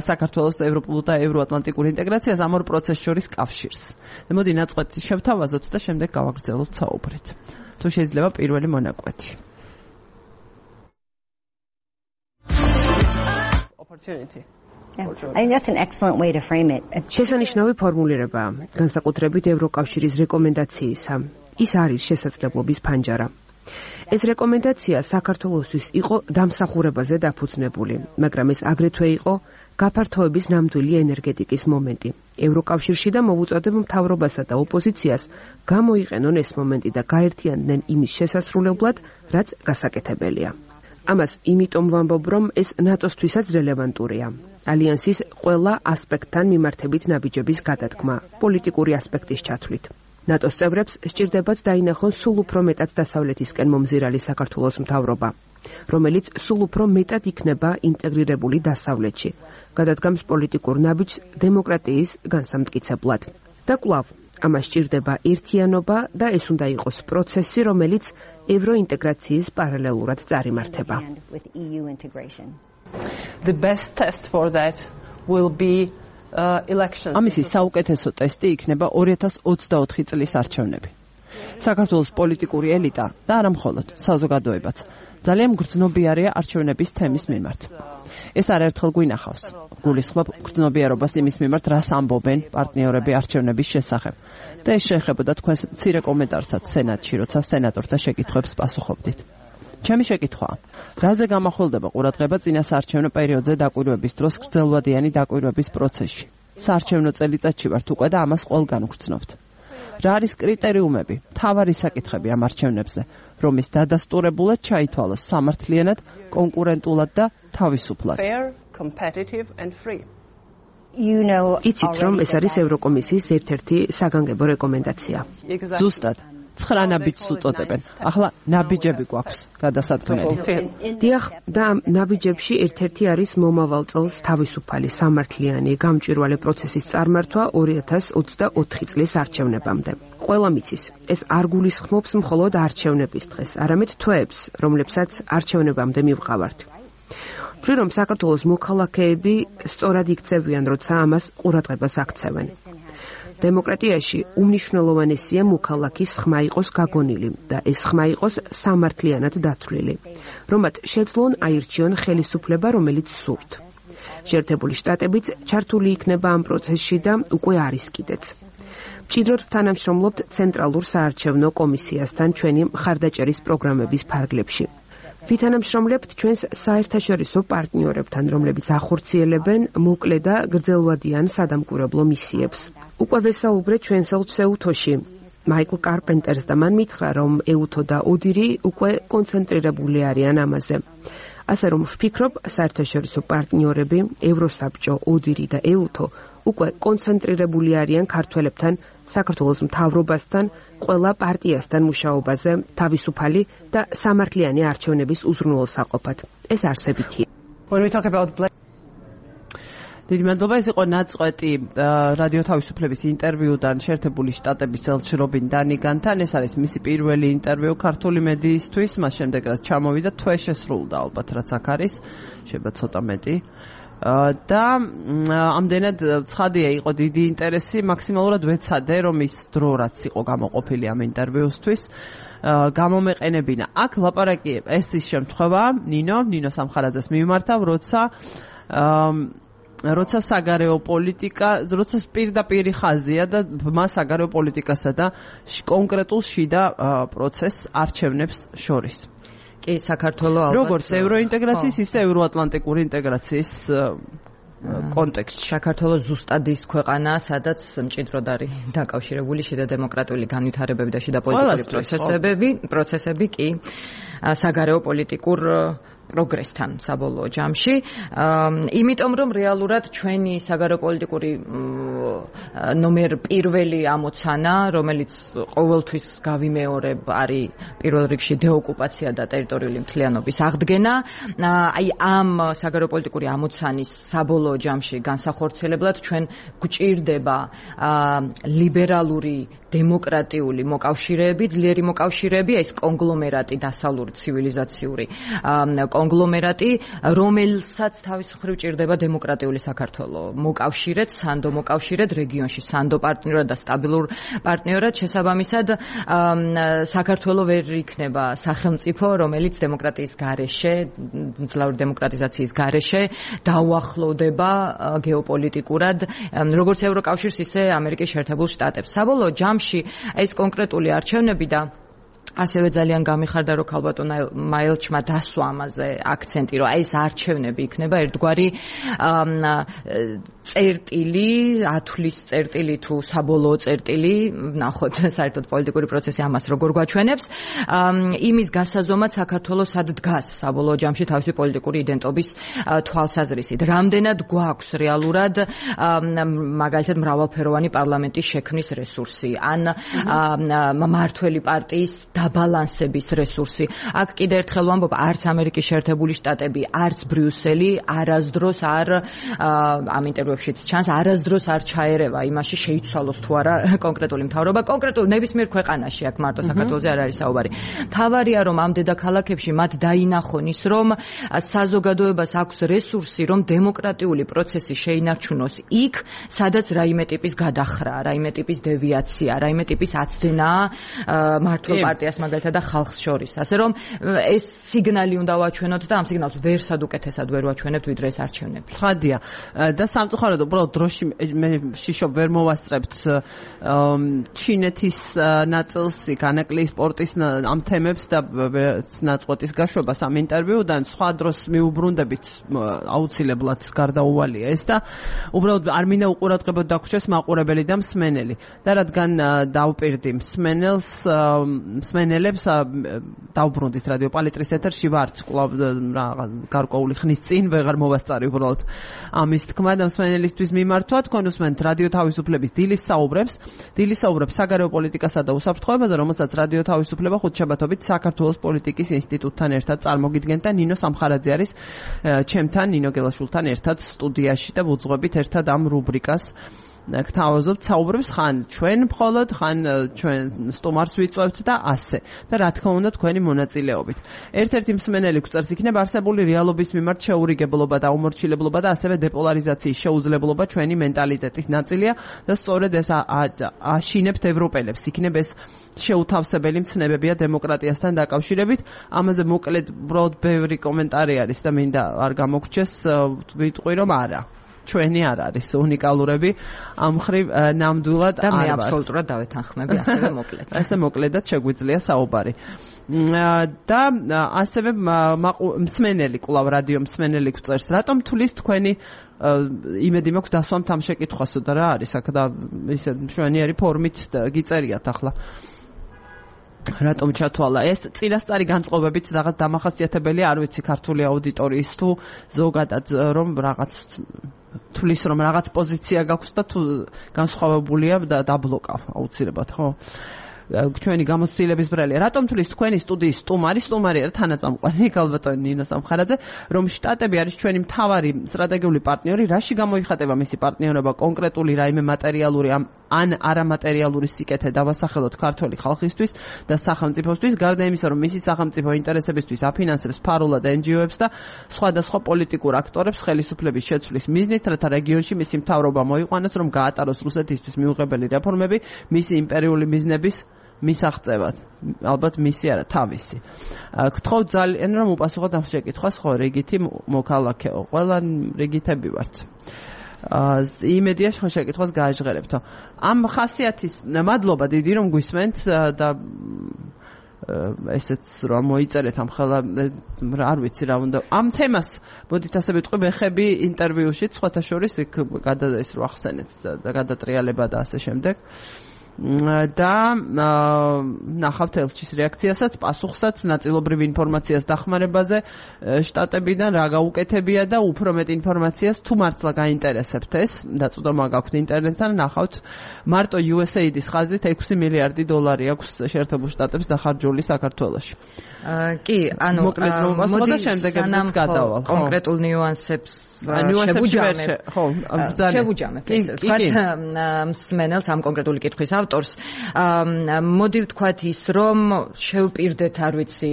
საქართველოს ევროპულ და ევროატლანტიკურ ინტეგრაციას ამ ორ პროცესს შორის კავშირს. მოდი ნაწყვეტი შევთავაზოთ და შემდეგ გავაგრძელოთ საუბრით. თუ შეიძლება პირველი მონაკვეთი. Opportunity. Yeah. I think that's an excellent way to frame it. შესანიშნავი ფორმულირებაა, განსაკუთრებით ევროკავშირის რეკომენდაციისა. ის არის შესაძლებლობის ფანჯარა. ეს რეკომენდაცია საქართველოსთვის იყო დამსახურებაზე დაფუძნებული, მაგრამ ეს აგრეთვე იყო გაფართოების ნამდვილი ენერგეტიკის მომენტი. ევროკავშირში და მოვუწოდებ მთავრობასა და ოპოზიციას გამოიყენონ ეს მომენტი და გაერთიანდნენ იმის შესასრულებლად, რაც გასაკეთებელია. ამას იმიტომ ვამბობ, რომ ეს ნატოსთვისაც რელევანტურია. ალიანსის ყველა ასპექტთან მიმართებით ნაბიჯების გადადგმა, პოლიტიკური ასპექტის ჩათვლით. ნატოს წევრებს სჭირდებათ დაინახონ სულ უფრო მეტად დასავლეთისკენ მომზირალი საქართველოს მთავრობა, რომელიც სულ უფრო მეტად იქნება ინტეგრირებული დასავლეთში, გადადგამს პოლიტიკურ ნაბიჯს დემოკრატიის განსამტკიცებლად. და კვლავ, ამას სჭირდება ერთიანობა და ეს უნდა იყოს პროცესი, რომელიც ევროინტეგრაციის პარალელურად წარიმართება. The best test for that will be Uh, elections. ამისი საუკეთესო ტესტი იქნება ორი ათას ოცდაოთხი წლის არჩევნები. საქართველოს პოლიტიკური ელიტა და არა მხოლოდ საზოგადოებაც ძალიან გრძნობიარეა არჩევნების თემის მიმართ. ეს არაერთხელ გვინახავს. გულისხმობ გრძნობიარობას იმის მიმართ, რას ამბობენ პარტნიორები არჩევნების შესახებ. და ეს შეეხებოდა თქვენს მცირე კომენტარსაც სენატში, როცა სენატორთა შეკითხვებს პასუხობდით. ჩემი შეკითხვაა, რაზე გამახვილდება ყურადღება წინა საარჩევნო პერიოდზე დაკვირვების დროს გრძელვადიანი დაკვირვების პროცესში? საარჩევნო წელიწადში ვართ უკვე და ამას ყველგან ვგრძნობთ. რა არის კრიტერიუმები, მთავარი საკითხები ამ არჩევნებზე, რომის დადასტურებულად ჩაითვალოს სამართლიანად, კონკურენტულად და თავისუფლად? იცით, რომ ეს არის ევროკომისიის ერთ-ერთი საგანგებო რეკომენდაცია. ზუსტად. ცხრა ნაბიჯს უწოდებენ. ახლა ნაბიჯები გვაქვს გადასადგმელი. დიახ, და ნაბიჯებში ერთ-ერთი არის მომავალ წელს თავისუფალი, სამართლიანი, გამჭვირვალე პროცესის წარმართვა ორი ათას ოცდაოთხი წლის არჩევნებამდე. ყველა მიცის, ეს არ გულისხმობს მხოლოდ არჩევნების დღეს, არამედ თვეებს, რომლებსაც არჩევნებამდე მივყავართ. ვთვლი, რომ საქართველოს მოქალაქეები სწორად იქცევიან, როცა ამას ყურადღებას აქცევენ. დემოკრატიაში უმნიშვნელოვანესია მოქალაქის ხმა იყოს გაგონილი და ეს ხმა იყოს სამართლიანად დათვლილი, რომ მათ შეძლონ აირჩიონ ხელისუფლება, რომელიც სურთ. შეერთებული შტატებიც ჩართული იქნება ამ პროცესში და უკვე არის კიდეც. მჭიდროდ თანამშრომლობთ ცენტრალურ საარჩევნო კომისიასთან ჩვენი მხარდაჭერის პროგრამების ფარგლებში. ვითანამშრომლებთ ჩვენს საერთაშორისო პარტნიორებთან, რომლებიც ახორციელებენ მოკლე და გრძელვადიან სადამკვირვებლო მისიებს. უკვე ვესაუბრეთ ჩვენს ელჩეუთოში. მაიკლ კარპენტერს და მან მითხრა, რომ ეუთო და ოდირი უკვე კონცენტრირებული არიან ამაზე. ასე რომ ვფიქრობ, საერთაშორისო პარტნიორები, ევროსაბჭო, ოდირი და ეუთო უკვე კონცენტრირებული არიან ქართველებთან, საქართველოს მთავრობასთან, ყველა პარტიასთან მუშაობაზე, თავისუფალი და სამართლიანი არჩევნების უზრუნველსაყოფად. ეს არსებითია. დიდი მადლობა, ეს იყო ნაწყვეტი რადიო თავისუფლების ინტერვიუდან შეერთებული შტატების ელჩ რობინ დანიგანთან. ეს არის მისი პირველი ინტერვიუ ქართული მედიისთვის, მას შემდეგ რაც ჩამოვიდა, თვე შესრულდა ალბათ, რაც აქ არის, შეიძლება ცოტა მეტი. და ამდენად ცხადია, იყო დიდი ინტერესი, მაქსიმალურად ვეცადე, რომ ის დრო რაც იყო გამოყოფილი ამ ინტერვიუსთვის გამომეყენებინა. აქ ლაპარაკი ეს ის შემთხვევა, ნინო, ნინო სამხარაძეს მიმართავ, როცა როცა საგარეო პოლიტიკა, როცა პირდაპირი ხაზია და მას საგარეო პოლიტიკასა და კონკრეტულ შიდა პროცესს არჩევნებს შორის. კი, საქართველოს ალბათ როგორც ევროინტეგრაციის, ისე ევროატლანტიკური ინტეგრაციის კონტექსტში. საქართველოს ზუსტად ის ქვეყანაა, სადაც მჭიდროდ არის დაკავშირებული შიდა დემოკრატიული განვითარებები და შიდა პოლიტიკური პროცესები, პროცესები კი საგარეო პოლიტიკურ პროგრესთან საბოლოო ჯამში. იმიტომ რომ რეალურად ჩვენი საგარეო პოლიტიკური ნომერ პირველი ამოცანა, რომელიც ყოველთვის გავიმეორებ, არის პირველ რიგში დეოკუპაცია და ტერიტორიული მთლიანობის აღდგენა. აი ამ საგარეო პოლიტიკური ამოცანის საბოლოო ჯამში განსახორციელებლად ჩვენ გვჭირდება ლიბერალური დემოკრატიული მოკავშირეები, ძლიერი მოკავშირეები, ეს კონგლომერატი, დასავლური ცივილიზაციური კონგლომერატი, რომელსაც თავის მხრივ ჭირდება დემოკრატიული საქართველო მოკავშირედ, სანდო მოკავშირედ, რეგიონში სანდო პარტნიორად და სტაბილურ პარტნიორად. შესაბამისად, საქართველო ვერ იქნება სახელმწიფო, რომელიც დემოკრატიის გარეშე, ძლავრი დემოკრატიზაციის გარეშე დაუახლოვდება გეოპოლიტიკურად როგორც ევროკავშირს, ისე ამერიკის შეერთებულ შტატებს. საბოლოო ჯამში ეს კონკრეტული არჩევნები და ასევე ძალიან გამიხარდა, რომ ქალბატონ მაილჩმა დასვა ამაზე აქცენტი, რომ აი ეს არჩევნები იქნება ერთგვარი წერტილი, ათვლის წერტილი თუ საბოლოო წერტილი, ნახოთ საერთოდ პოლიტიკური პროცესი ამას როგორ გვაჩვენებს, იმის გასაზომად საქართველოს სად დგას საბოლოო ჯამში თავისი პოლიტიკური იდენტობის თვალსაზრისით. რამდენად გვაქვს რეალურად მაგალითად მრავალფეროვანი პარლამენტის შექმნის რესურსი, ან მმართველი პარტიის დაბალანსების რესურსი. აქ კიდე ერთხელ ვამბობ, არც ამერიკის შეერთებული შტატები, არც ბრიუსელი არასდროს არ ამ ინტერვიუებშიც ჩანს, არასდროს არ ჩაერევა იმაში შეიცვალოს თუ არა კონკრეტული მთავრობა, კონკრეტულ ნებისმიერ ქვეყანაში, აქ მარტო საქართველოზე არ არის საუბარი. მთავარია, რომ ამ დედაქალაქებში მათ დაინახონ ის, რომ საზოგადოებას აქვს რესურსი, რომ დემოკრატიული პროცესი შეინარჩუნოს იქ, სადაც რაიმე ტიპის გადახრა, რაიმე ტიპის დევიაცია, რაიმე ტიპის აცდენაა მმართველ პარტიას მაგალითად და ხალხს შორის. ასე რომ ეს სიგნალი უნდა ვაჩვენოთ და ამ სიგნალს ვერსად უკეთესად ვერ ვაჩვენებთ ვიდრე ეს არჩევნები. ცხადია. და სამწუხაროდ უბრალოდ დროში მე შიშობ ვერ მოვასწრებთ ჩინეთის ნაწილს, განაკლიის სპორტის ამ თემებს და ნაწყვეტის გაშვებას ამ ინტერვიუდან. სხვა დროს მიუბრუნდებით აუცილებლად გარდაუვალია ეს და უბრალოდ არ მინდა უყურადღებოდ დაგვრჩეს მაყურებელი და მსმენელი. და რადგან დავპირდი მსმენელს მსმენელებს დავბრუნდით რადიო პალიტრის ეთერში ვართ კვლავ გარკვეული ხნის წინ ვეღარ მოვასწარი უბრალოდ ამის თქმა და მსმენელისთვის მიმართვა. თქვენ უსმენთ რადიო თავისუფლების დილის საუბრებს. დილის საუბრებს საგარეო პოლიტიკასა და უსაფრთხოებაზე, რომელსაც რადიო თავისუფლება ხუთშაბათობით საქართველოს პოლიტიკის ინსტიტუტთან ერთად წარმოგიდგენთ და ნინო სამხარაძე არის ჩემთან, ნინო გელაშვილთან ერთად სტუდიაში და ვუძღვებით ერთად ამ რუბრიკას. გთავაზობთ საუბრებს ხან ჩვენ მხოლოდ, ხან ჩვენ სტუმარს ვიწვევთ და ასე. და რა თქმა უნდა თქვენი მონაწილეობით. ერთ-ერთი მსმენელი გვწერს, იქნება არსებული რეალობის მიმართ შეურიგებლობა და უმორჩილებლობა და ასევე დეპოლარიზაციის შეუძლებლობა ჩვენი მენტალიტეტის ნაწილია და სწორედ ეს აშინებთ ევროპელებს. იქნება ეს შეუთავსებელი მცნებებია დემოკრატიასთან დაკავშირებით. ამაზე მოკლედ უბრალოდ ბევრი კომენტარი არის და მინდა არ გამოგრჩეს, ვიტყვი რომ არა. ჩვენი არ არის უნიკალურები ამ ხრივ ნამდვილად და მე აბსოლუტურად დავეთანხმები ასევე მოკლედ. ასე მოკლედად შეგვიძლია საუბარი. და ასევე მსმენელი, კვლავ რადიო მსმენელი გვწერს, რატომ თulis თქვენი იმედი მაქვს დასვამთ ამ შეკითხვასო და რა არის აქ და ისე მშვენიერი ფორმით გიწერიათ ახლა. რატომ ჩათვალა ეს წინასწარი განწყობებით რაღაც დამახასიათებელი არ ვიცი ქართული აუდიტორიის თუ ზოგადად რომ რაღაც თulis რომ რაღაც პოზიცია გაქვს და თუ განსხვავებულია და დაბლოკავ აუცილებლად ხო ჩვენი გამოცდილების ბრალია. რატომ თulis თქვენი სტუდიის სტუმარი, სტუმარი არა თანაწამყვანი ქალბატონი ნინო სამხარაძე, რომ შტატები არის ჩვენი მთავარი სტრატეგიული პარტნიორი, რაში გამოიხატება მისი პარტნიორობა კონკრეტული რაიმე მატერიალური ან არამატერიალური სიკეთე დავასახელოთ ქართული ხალხისთვის და სახელმწიფოსთვის, გარდა იმისა, რომ მისი სახელმწიფო ინტერესებისთვის აფინანსებს ფარულად εν ჯი ო-ებს და სხვადასხვა პოლიტიკურ აქტორებს ხელისუფლების შეცვლის მიზნით, რათა რეგიონში მისი მთავრობა მოიყვანოს, რომ გაატაროს რუსეთისთვის მიუღებელი რეფორმები, მისი იმპერიული მიზნების მისაღწევად. ალბათ მისი არა, თავისი. გთხოვ ძალიან რომ უპასუხოთ ამ შეკითხვას, ხო, რიგითი მოქალაქეო, ყველა რიგითები ვართ. იმედია ხო შეკითხვას გააჟღერებთო. ამ ხასიათის მადლობა დიდი რომ გვისმენთ და ესეც რომ მოიწერეთ ამ ხელა არ ვიცი რა უნდა ამ თემას მოდით ასე ვიტყვი მეხები ინტერვიუში სხვათა შორის იქ გადადეს რო ახსენეთ და გადატრიალება და ასე შემდეგ. და ნახავთ ელჩის რეაქციასაც, პასუხსაც, ნაწილობრივ ინფორმაციას დახმარებაზე შტატებიდან რა გაუკეთებია და უფრო მეტ ინფორმაციას თუ მართლა გაინტერესებთ ეს, დაწვდომა გაქვთ ინტერნეტთან, ნახავთ მარტო იუ ეს ეი დის ხაზით ექვსი მილიარდი დოლარი აქვს შეერთებულ შტატებს დახარჯული საქართველოში. კი, ანუ მოდი შემდეგებიც გადავალ. კონკრეტულ ნიუანსებს შევუჯამებ. ხო, შევუჯამებ. თქვათ მსმენელს ამ კონკრეტული კითხვის ავტორს, მოდი ვთქვათ ის, რომ შევპირდეთ, არ ვიცი,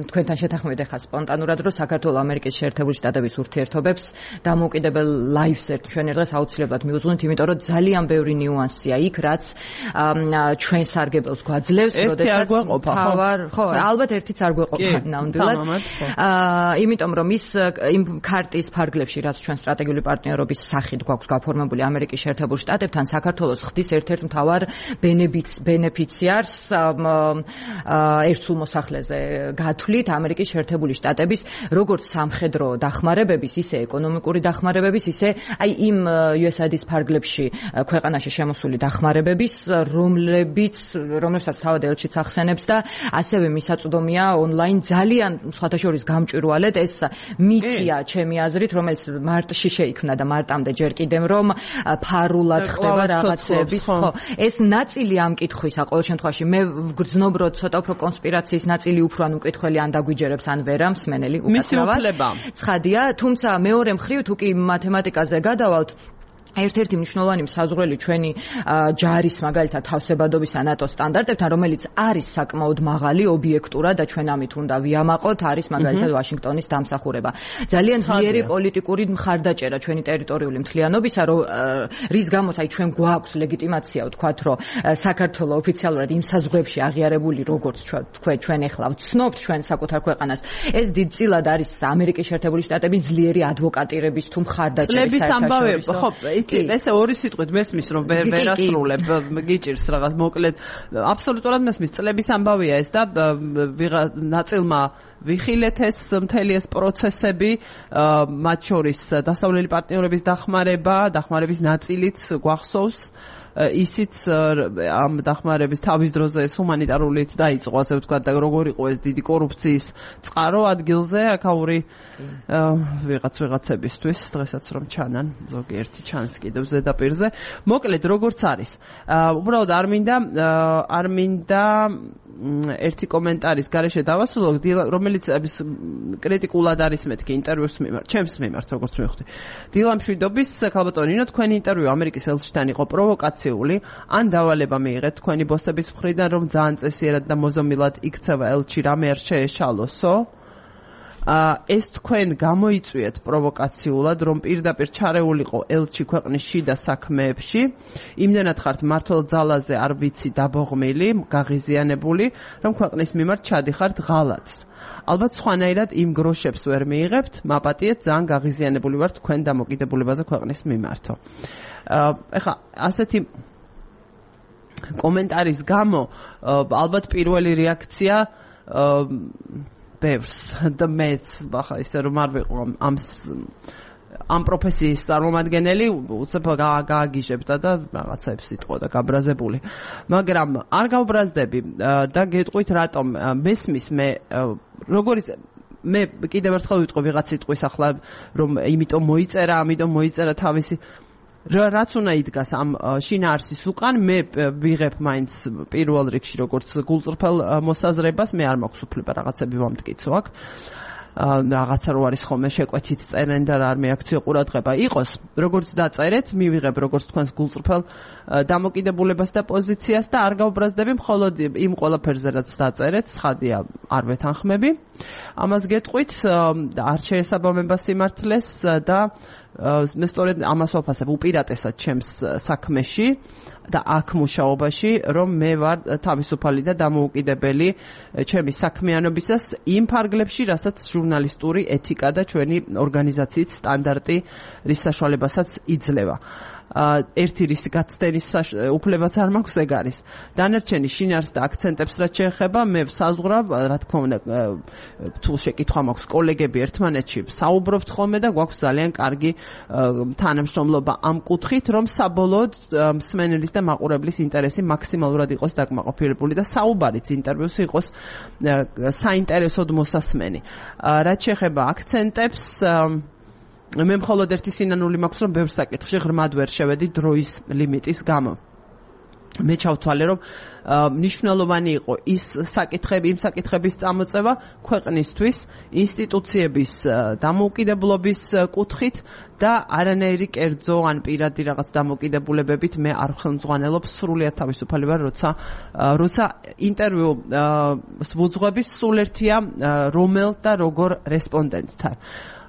თქვენთან შეთანხმებით ახლა სპონტანურად, რომ საქართველოს ამერიკის შეერთებული შტატების ურთიერთობებს დამოუკიდებელ ლაივს ჩვენ დღეს აუცილებლად მიუძღვნით, იმიტომ რომ ძალიან ბევრი ნიუანსია იქ, რაც ჩვენ სარგებელს გვაძლევს, როდესაც თავარ, ხო, ალბათ ერთიც არ გვეყოფა ნამდვილად. აა, იმიტომ რომ ის იმ ქარტის ფარგლებში, რაც ჩვენ სტრატეგიული პარტნიორობის სახით გვაქვს გაფორმებული ამერიკის შეერთებულ შტატებთან, საქართველოს ხდის ერთ-ერთ მთავარ ბენეფიციარს ერთსულ მოსახლეზე გათვლით ამერიკის შეერთებული შტატების როგორც სამხედრო დახმარებების, ისე ეკონომიკური დახმარებების, ისე აი იმ იუ ეს ეი-ის ფარგლებში ქვეყანაში შემოსული დახმარებების, რომლებიც რომლებსაც თავად ელჩიც ახსენებს და ასევე მისაწვდომია ონლაინ ძალიან სხვათა შორის გამჭვირვალედ ეს მითია ჩემი აზრით, რომელიც მარტში შეიქმნა და მარტამდე ჯერ კიდევ რომ ფარულად ხდება რაღაცების, ხო, ეს ნაწილი ამ კითხვისა ყოველ შემთხვევაში მე ვგრძნობ რომ ცოტა უფრო კონსპირაციის ნაწილი უფრო ან უკითხელი ან დაგვიჯერებს ან ვერა მსმენელი უკაცრავად ცხადია, თუმცა მეორე მხრივ თუ კი მათემატიკაზე გადავალთ, ერთ-ერთი მნიშვნელოვანი საზღვრელი ჩვენი ჯარის მაგალითად თავსებადობის და ნატოს სტანდარტებთან, რომელიც არის საკმაოდ მაღალი ობიექტურად და ჩვენ ამით უნდა ვიამაყოთ, არის მაგალითად ვაშინგტონის დამსახურება. ძალიან ძლიერი პოლიტიკური მხარდაჭერა ჩვენი ტერიტორიული მთლიანობისა, რომ რის გამოც აი ჩვენ გვაქვს ლეგიტიმაცია ვთქვათ, რომ საქართველოს ოფიციალურად იმ საზღვრებში აღიარებული როგორც თქვენ ჩვენ ახლა ვცნობთ ჩვენ საკუთარ ქვეყანას, ეს დიდწილად არის ამერიკის შეერთებული შტატების ძლიერი ადვოკატირების თუ მხარდაჭერის საერთაშორისო. ესე ორი სიტყვით მესმის რომ ვერასრულებ გიჭირს რაღაც მოკლედ აბსოლუტურად მესმის წლების ამბავია ეს და ვიღა ნაწილმა ვიხილეთ ეს მთელი ეს პროცესები მათ შორის დასავლელი პარტნიორების დახმარება დახმარების ნაწილიც გვახსოვს ისიც ამ დახმარების თავის დროზე ეს ჰუმანიტარულიც დაიწყო ასე ვთქვათ და როგორ იყო ეს დიდი კორუფციის წყარო ადგილზე აქაური ვიღაც ვიღაცებისთვის დღესაც რომ ჩანან ზოგიერთი ჩანს კიდევ ზედაპირზე მოკლედ როგორც არის უბრალოდ არ მინდა არ მინდა ერთი კომენტარის გარეშე დავასრულო რომელიც კრიტიკულად არის მეთქი ინტერვიუს მიმართ ჩემს მიმართ როგორც მივხვდი დილამშვიდობის ქალბატონინო თქვენი ინტერვიუ ამერიკის ელჩთან იყო პროვოკაციული ან დავალება მიიღეთ თქვენი ბოსების მხრიდან რომ ძალიან წესიერად და მოზომილად იქცევა ელჩი რამე არ შეეშალოსო ეს თქვენ გამოიწვიეთ პროვოკაციულად რომ პირდაპირ ჩარეულიყო ელჩი ქვეყნის შიდა საქმეებში იმდენად ხართ მართლ ძალაზე არ ვიცი დაბოღმილი გაღიზიანებული რომ ქვეყნის მიმართ ჩადიხართ ღალატს ალბათ სხვანაირად იმ გროშებს ვერ მიიღებთ მაპატიეთ ძალიან გაღიზიანებული ვართ თქვენ დამოკიდებულებაზე ქვეყნის მიმართო ეხლა ასეთი კომენტარის გამო ალბათ პირველი რეაქცია ბევრს და მეც ახლა ისე რომ არ ვიყო ამ ამ პროფესიის წარმომადგენელი უცებ გააგიჟებდა და რაღაცებს იტყოდა გაბრაზებული მაგრამ არ გავბრაზდები და გეტყვით რატომ მესმის მე როგორიც მე კიდევ ერთხელ ვიტყვი ვიღაც სიტყვის ახლა რომ იმიტომ მოიწერა ამიტომ მოიწერა თავისი რაც უნდა იდგას ამ შინაარსის უკან მე ვიღებ მაინც პირველ რიგში როგორც გულწრფელ მოსაზრებას მე არ მაქვს უფლება რაღაცები ვამტკიცო აქ რაღაცა რო არის ხოლმე შეკვეთით წერენ და არ მეაქციო ყურადღება იყოს როგორც დაწერეთ მივიღებ როგორც თქვენს გულწრფელ დამოკიდებულებას და პოზიციას და არ გავბრაზდები მხოლოდ იმ ყველაფერზე რაც დაწერეთ ცხადია არ ვეთანხმები ამას გეტყვით არ შეესაბამება სიმართლეს და მე სწორედ ამას ვაფასებ უპირატესად ჩემს საქმეში და აქ მუშაობაში რომ მე ვარ თავისუფალი და დამოუკიდებელი ჩემი საქმიანობისას იმ ფარგლებში რასაც ჟურნალისტური ეთიკა და ჩვენი ორგანიზაციის სტანდარტი რის საშუალებასაც იძლევა ერთი რის გაცდენის უფლებაც არ მაქვს ეგ არის. დანარჩენი შინაარს და აქცენტებს რაც შეეხება, მე საზღვრავ, რა თქმა უნდა, თუ შეკითხვა მაქვს კოლეგები ერთმანეთში, საუბრობთ ხოლმე და გვაქვს ძალიან კარგი თანამშრომლობა ამ კუთხით, რომ საბოლოოდ მსმენელის და მაყურებლის ინტერესი მაქსიმალურად იყოს დაკმაყოფილებული და საუბარიც ინტერვიუს იყოს საინტერესოდ მოსასმენი. რაც შეეხება აქცენტებს, მე მხოლოდ ერთი სინანული მაქვს, რომ ბევრ საკითხში ღრმად ვერ შევედი დროის ლიმიტის გამო. მე ჩავთვალე, რომ მნიშვნელოვანი იყო ის საკითხები, იმ საკითხების წამოწევა ქვეყნისთვის, ინსტიტუციების დამოუკიდებლობის კუთხით და არანაირი კერძო ან პირადი რაღაც დამოუკიდებულებებით მე არ ხელმძღვანელობ, სრულიად თავისუფალი ვარ, როცა როცა ინტერვიუ ვუძღვები, სულ ერთია რომელ და როგორ რესპონდენტთან.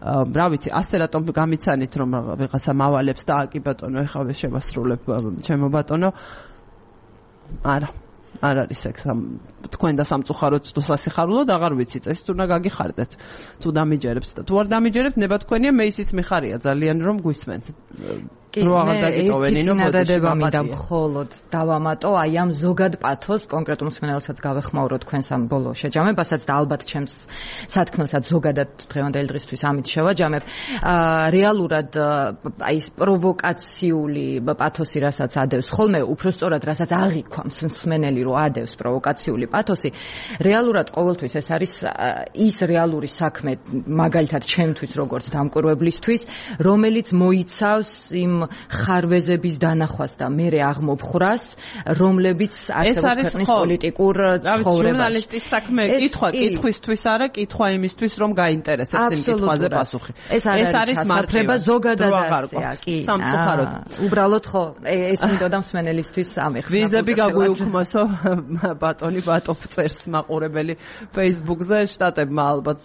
რა ვიცი, ასე რატომ გამიცანით, რომ ვიღაცა მავალებს და აკი ბატონო, ეხლა შევასრულებ ჩემო ბატონო. არა, არ არის ეგ თქვენ და სამწუხაროდ თუ სასიხარულოდ აღარ ვიცით, ეს თუ უნდა გაგიხარდეთ, თუ დამიჯერებთ და თუ არ დამიჯერებთ, ნება თქვენია, მე ისიც მიხარია ძალიან რომ გვისმენთ. კი, მე ერთი წინადადება მინდა მხოლოდ დავამატო, აი ამ ზოგად პათოს კონკრეტულ მსმენელსაც გავეხმაურო თქვენს ამ ბოლო შეჯამებასაც და ალბათ ჩემს სათქმელსაც ზოგადად დღევანდელი დღისთვის ამით შევაჯამებ. რეალურად აი ეს პროვოკაციული პათოსი, რასაც ადევს ხოლმე, უფრო სწორად რასაც აღიქვამს მსმენელი, რომ ადევს პროვოკაციული პათოსი, რეალურად ყოველთვის ეს არის ის რეალური საქმე, მაგალითად ჩემთვის როგორც დამკვირვებლისთვის, რომელიც მოიცავს იმ ხარვეზების დანახვას და მერე აღმოფხრას, რომლებიც არსებობს ქვეყნის პოლიტიკურ ცხოვრებაში. ჟურნალისტის საქმე კითხვა კითხვისთვის არა, კითხვა იმისთვის, რომ გაინტერესებს იმ კითხვაზე პასუხი. ეს არის საფრება ზოგადად ასეა, კი. სამწუხაროდ. უბრალოდ ხო, ეს მინდოდა მსმენელისთვის ამეხსნა. ვიზები გაგვიუქმოსო, ბატონი ბატოფ წერს მაყურებელი Facebook-ზე, შტატებმა ალბათ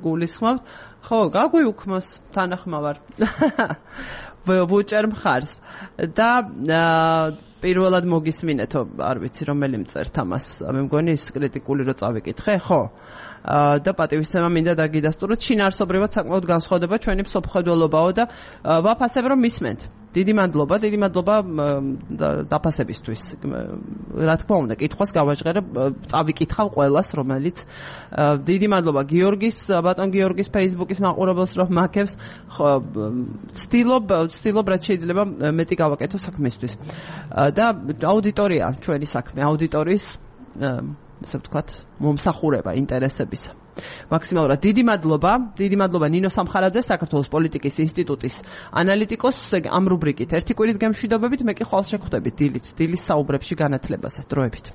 გულისხმობთ. ხო, გაგვიუქმოს თანახმავარ. ვუჭერ მხარს და პირველად მოგისმინეთო, არ ვიცი რომელი მწერთ ამას, მე მგონი ის კრიტიკული რო წავიკითხე, ხო? და პატივისცემა მინდა დაგიდასტუროთ, შინაარსობრივად საკმაოდ განსხვავდება ჩვენი მსოფლმხედველობაო და ვაფასებ რომ მისმენთ. დიდი მადლობა, დიდი მადლობა დაფასებისთვის. რა თქმა უნდა, კითხვას გავაჟღერებ, წავიკითხავ ყველას, რომელიც დიდი მადლობა გიორგის, ბატონ გიორგის Facebook-ის მაყურებელს, რომ მაქებს, ვცდილობ, ვცდილობ რაც შეიძლება მეტი გავაკეთო საქმისთვის. და აუდიტორია ჩვენი საქმე, აუდიტორიის ასე ვთქვათ, მომსახურება ინტერესებისა. მაქსიმალურად დიდი მადლობა, დიდი მადლობა ნინო სამხარაძე, საქართველოს პოლიტიკის ინსტიტუტის ანალიტიკოსს, ამ რუბრიკით ერთი კვირით გემშვიდობებით, მე კი ხვალ შეგხვდებით დილით, დილის საუბრებში განათლებაზე, დროებით.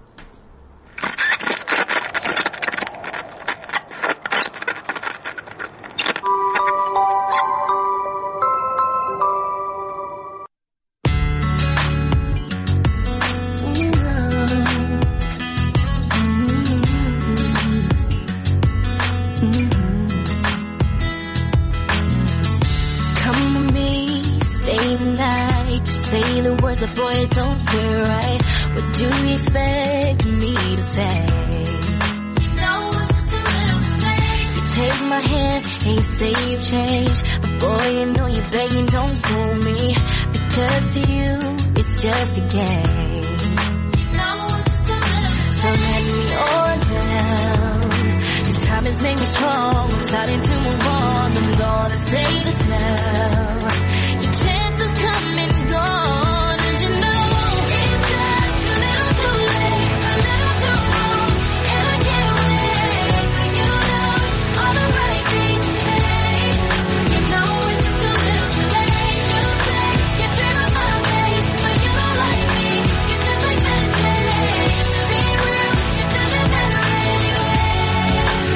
Just a game. So let me on down. This time has made me strong. I'm starting to move on. I'm gonna say this now. Your chances come and gone. As you know, it's just a little too late, a little too wrong, and I can't wait for you to know all the right things to say. You know it's just a little too late to say you're dreaming of my face, but you don't like me. You're just like that day. Be real, it doesn't matter anyway.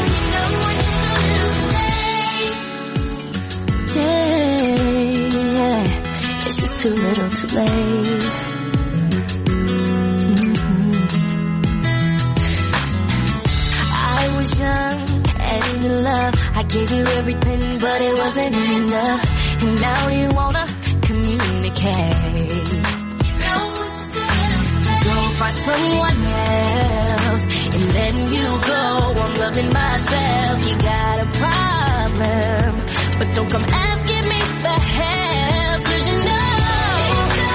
You know it's just a little too late. Yeah, yeah, it's just too little too late. Mm-hmm. I was young and in love. I gave you everything, but it wasn't enough. And now you wanna communicate. You know it's just a little too late. Go find someone else and then you go. I'm loving myself. You got a problem, but don't come asking me for help, 'cause you know it's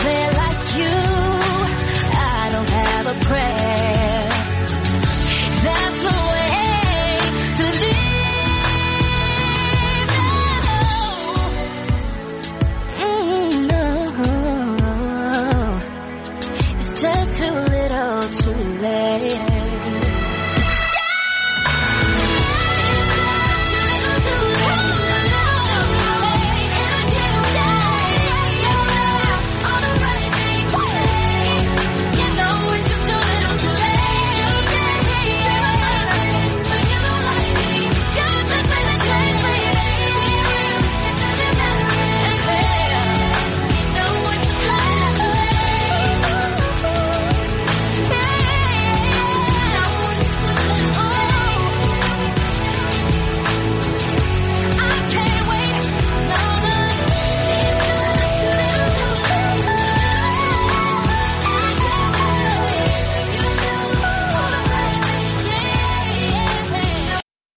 there like you.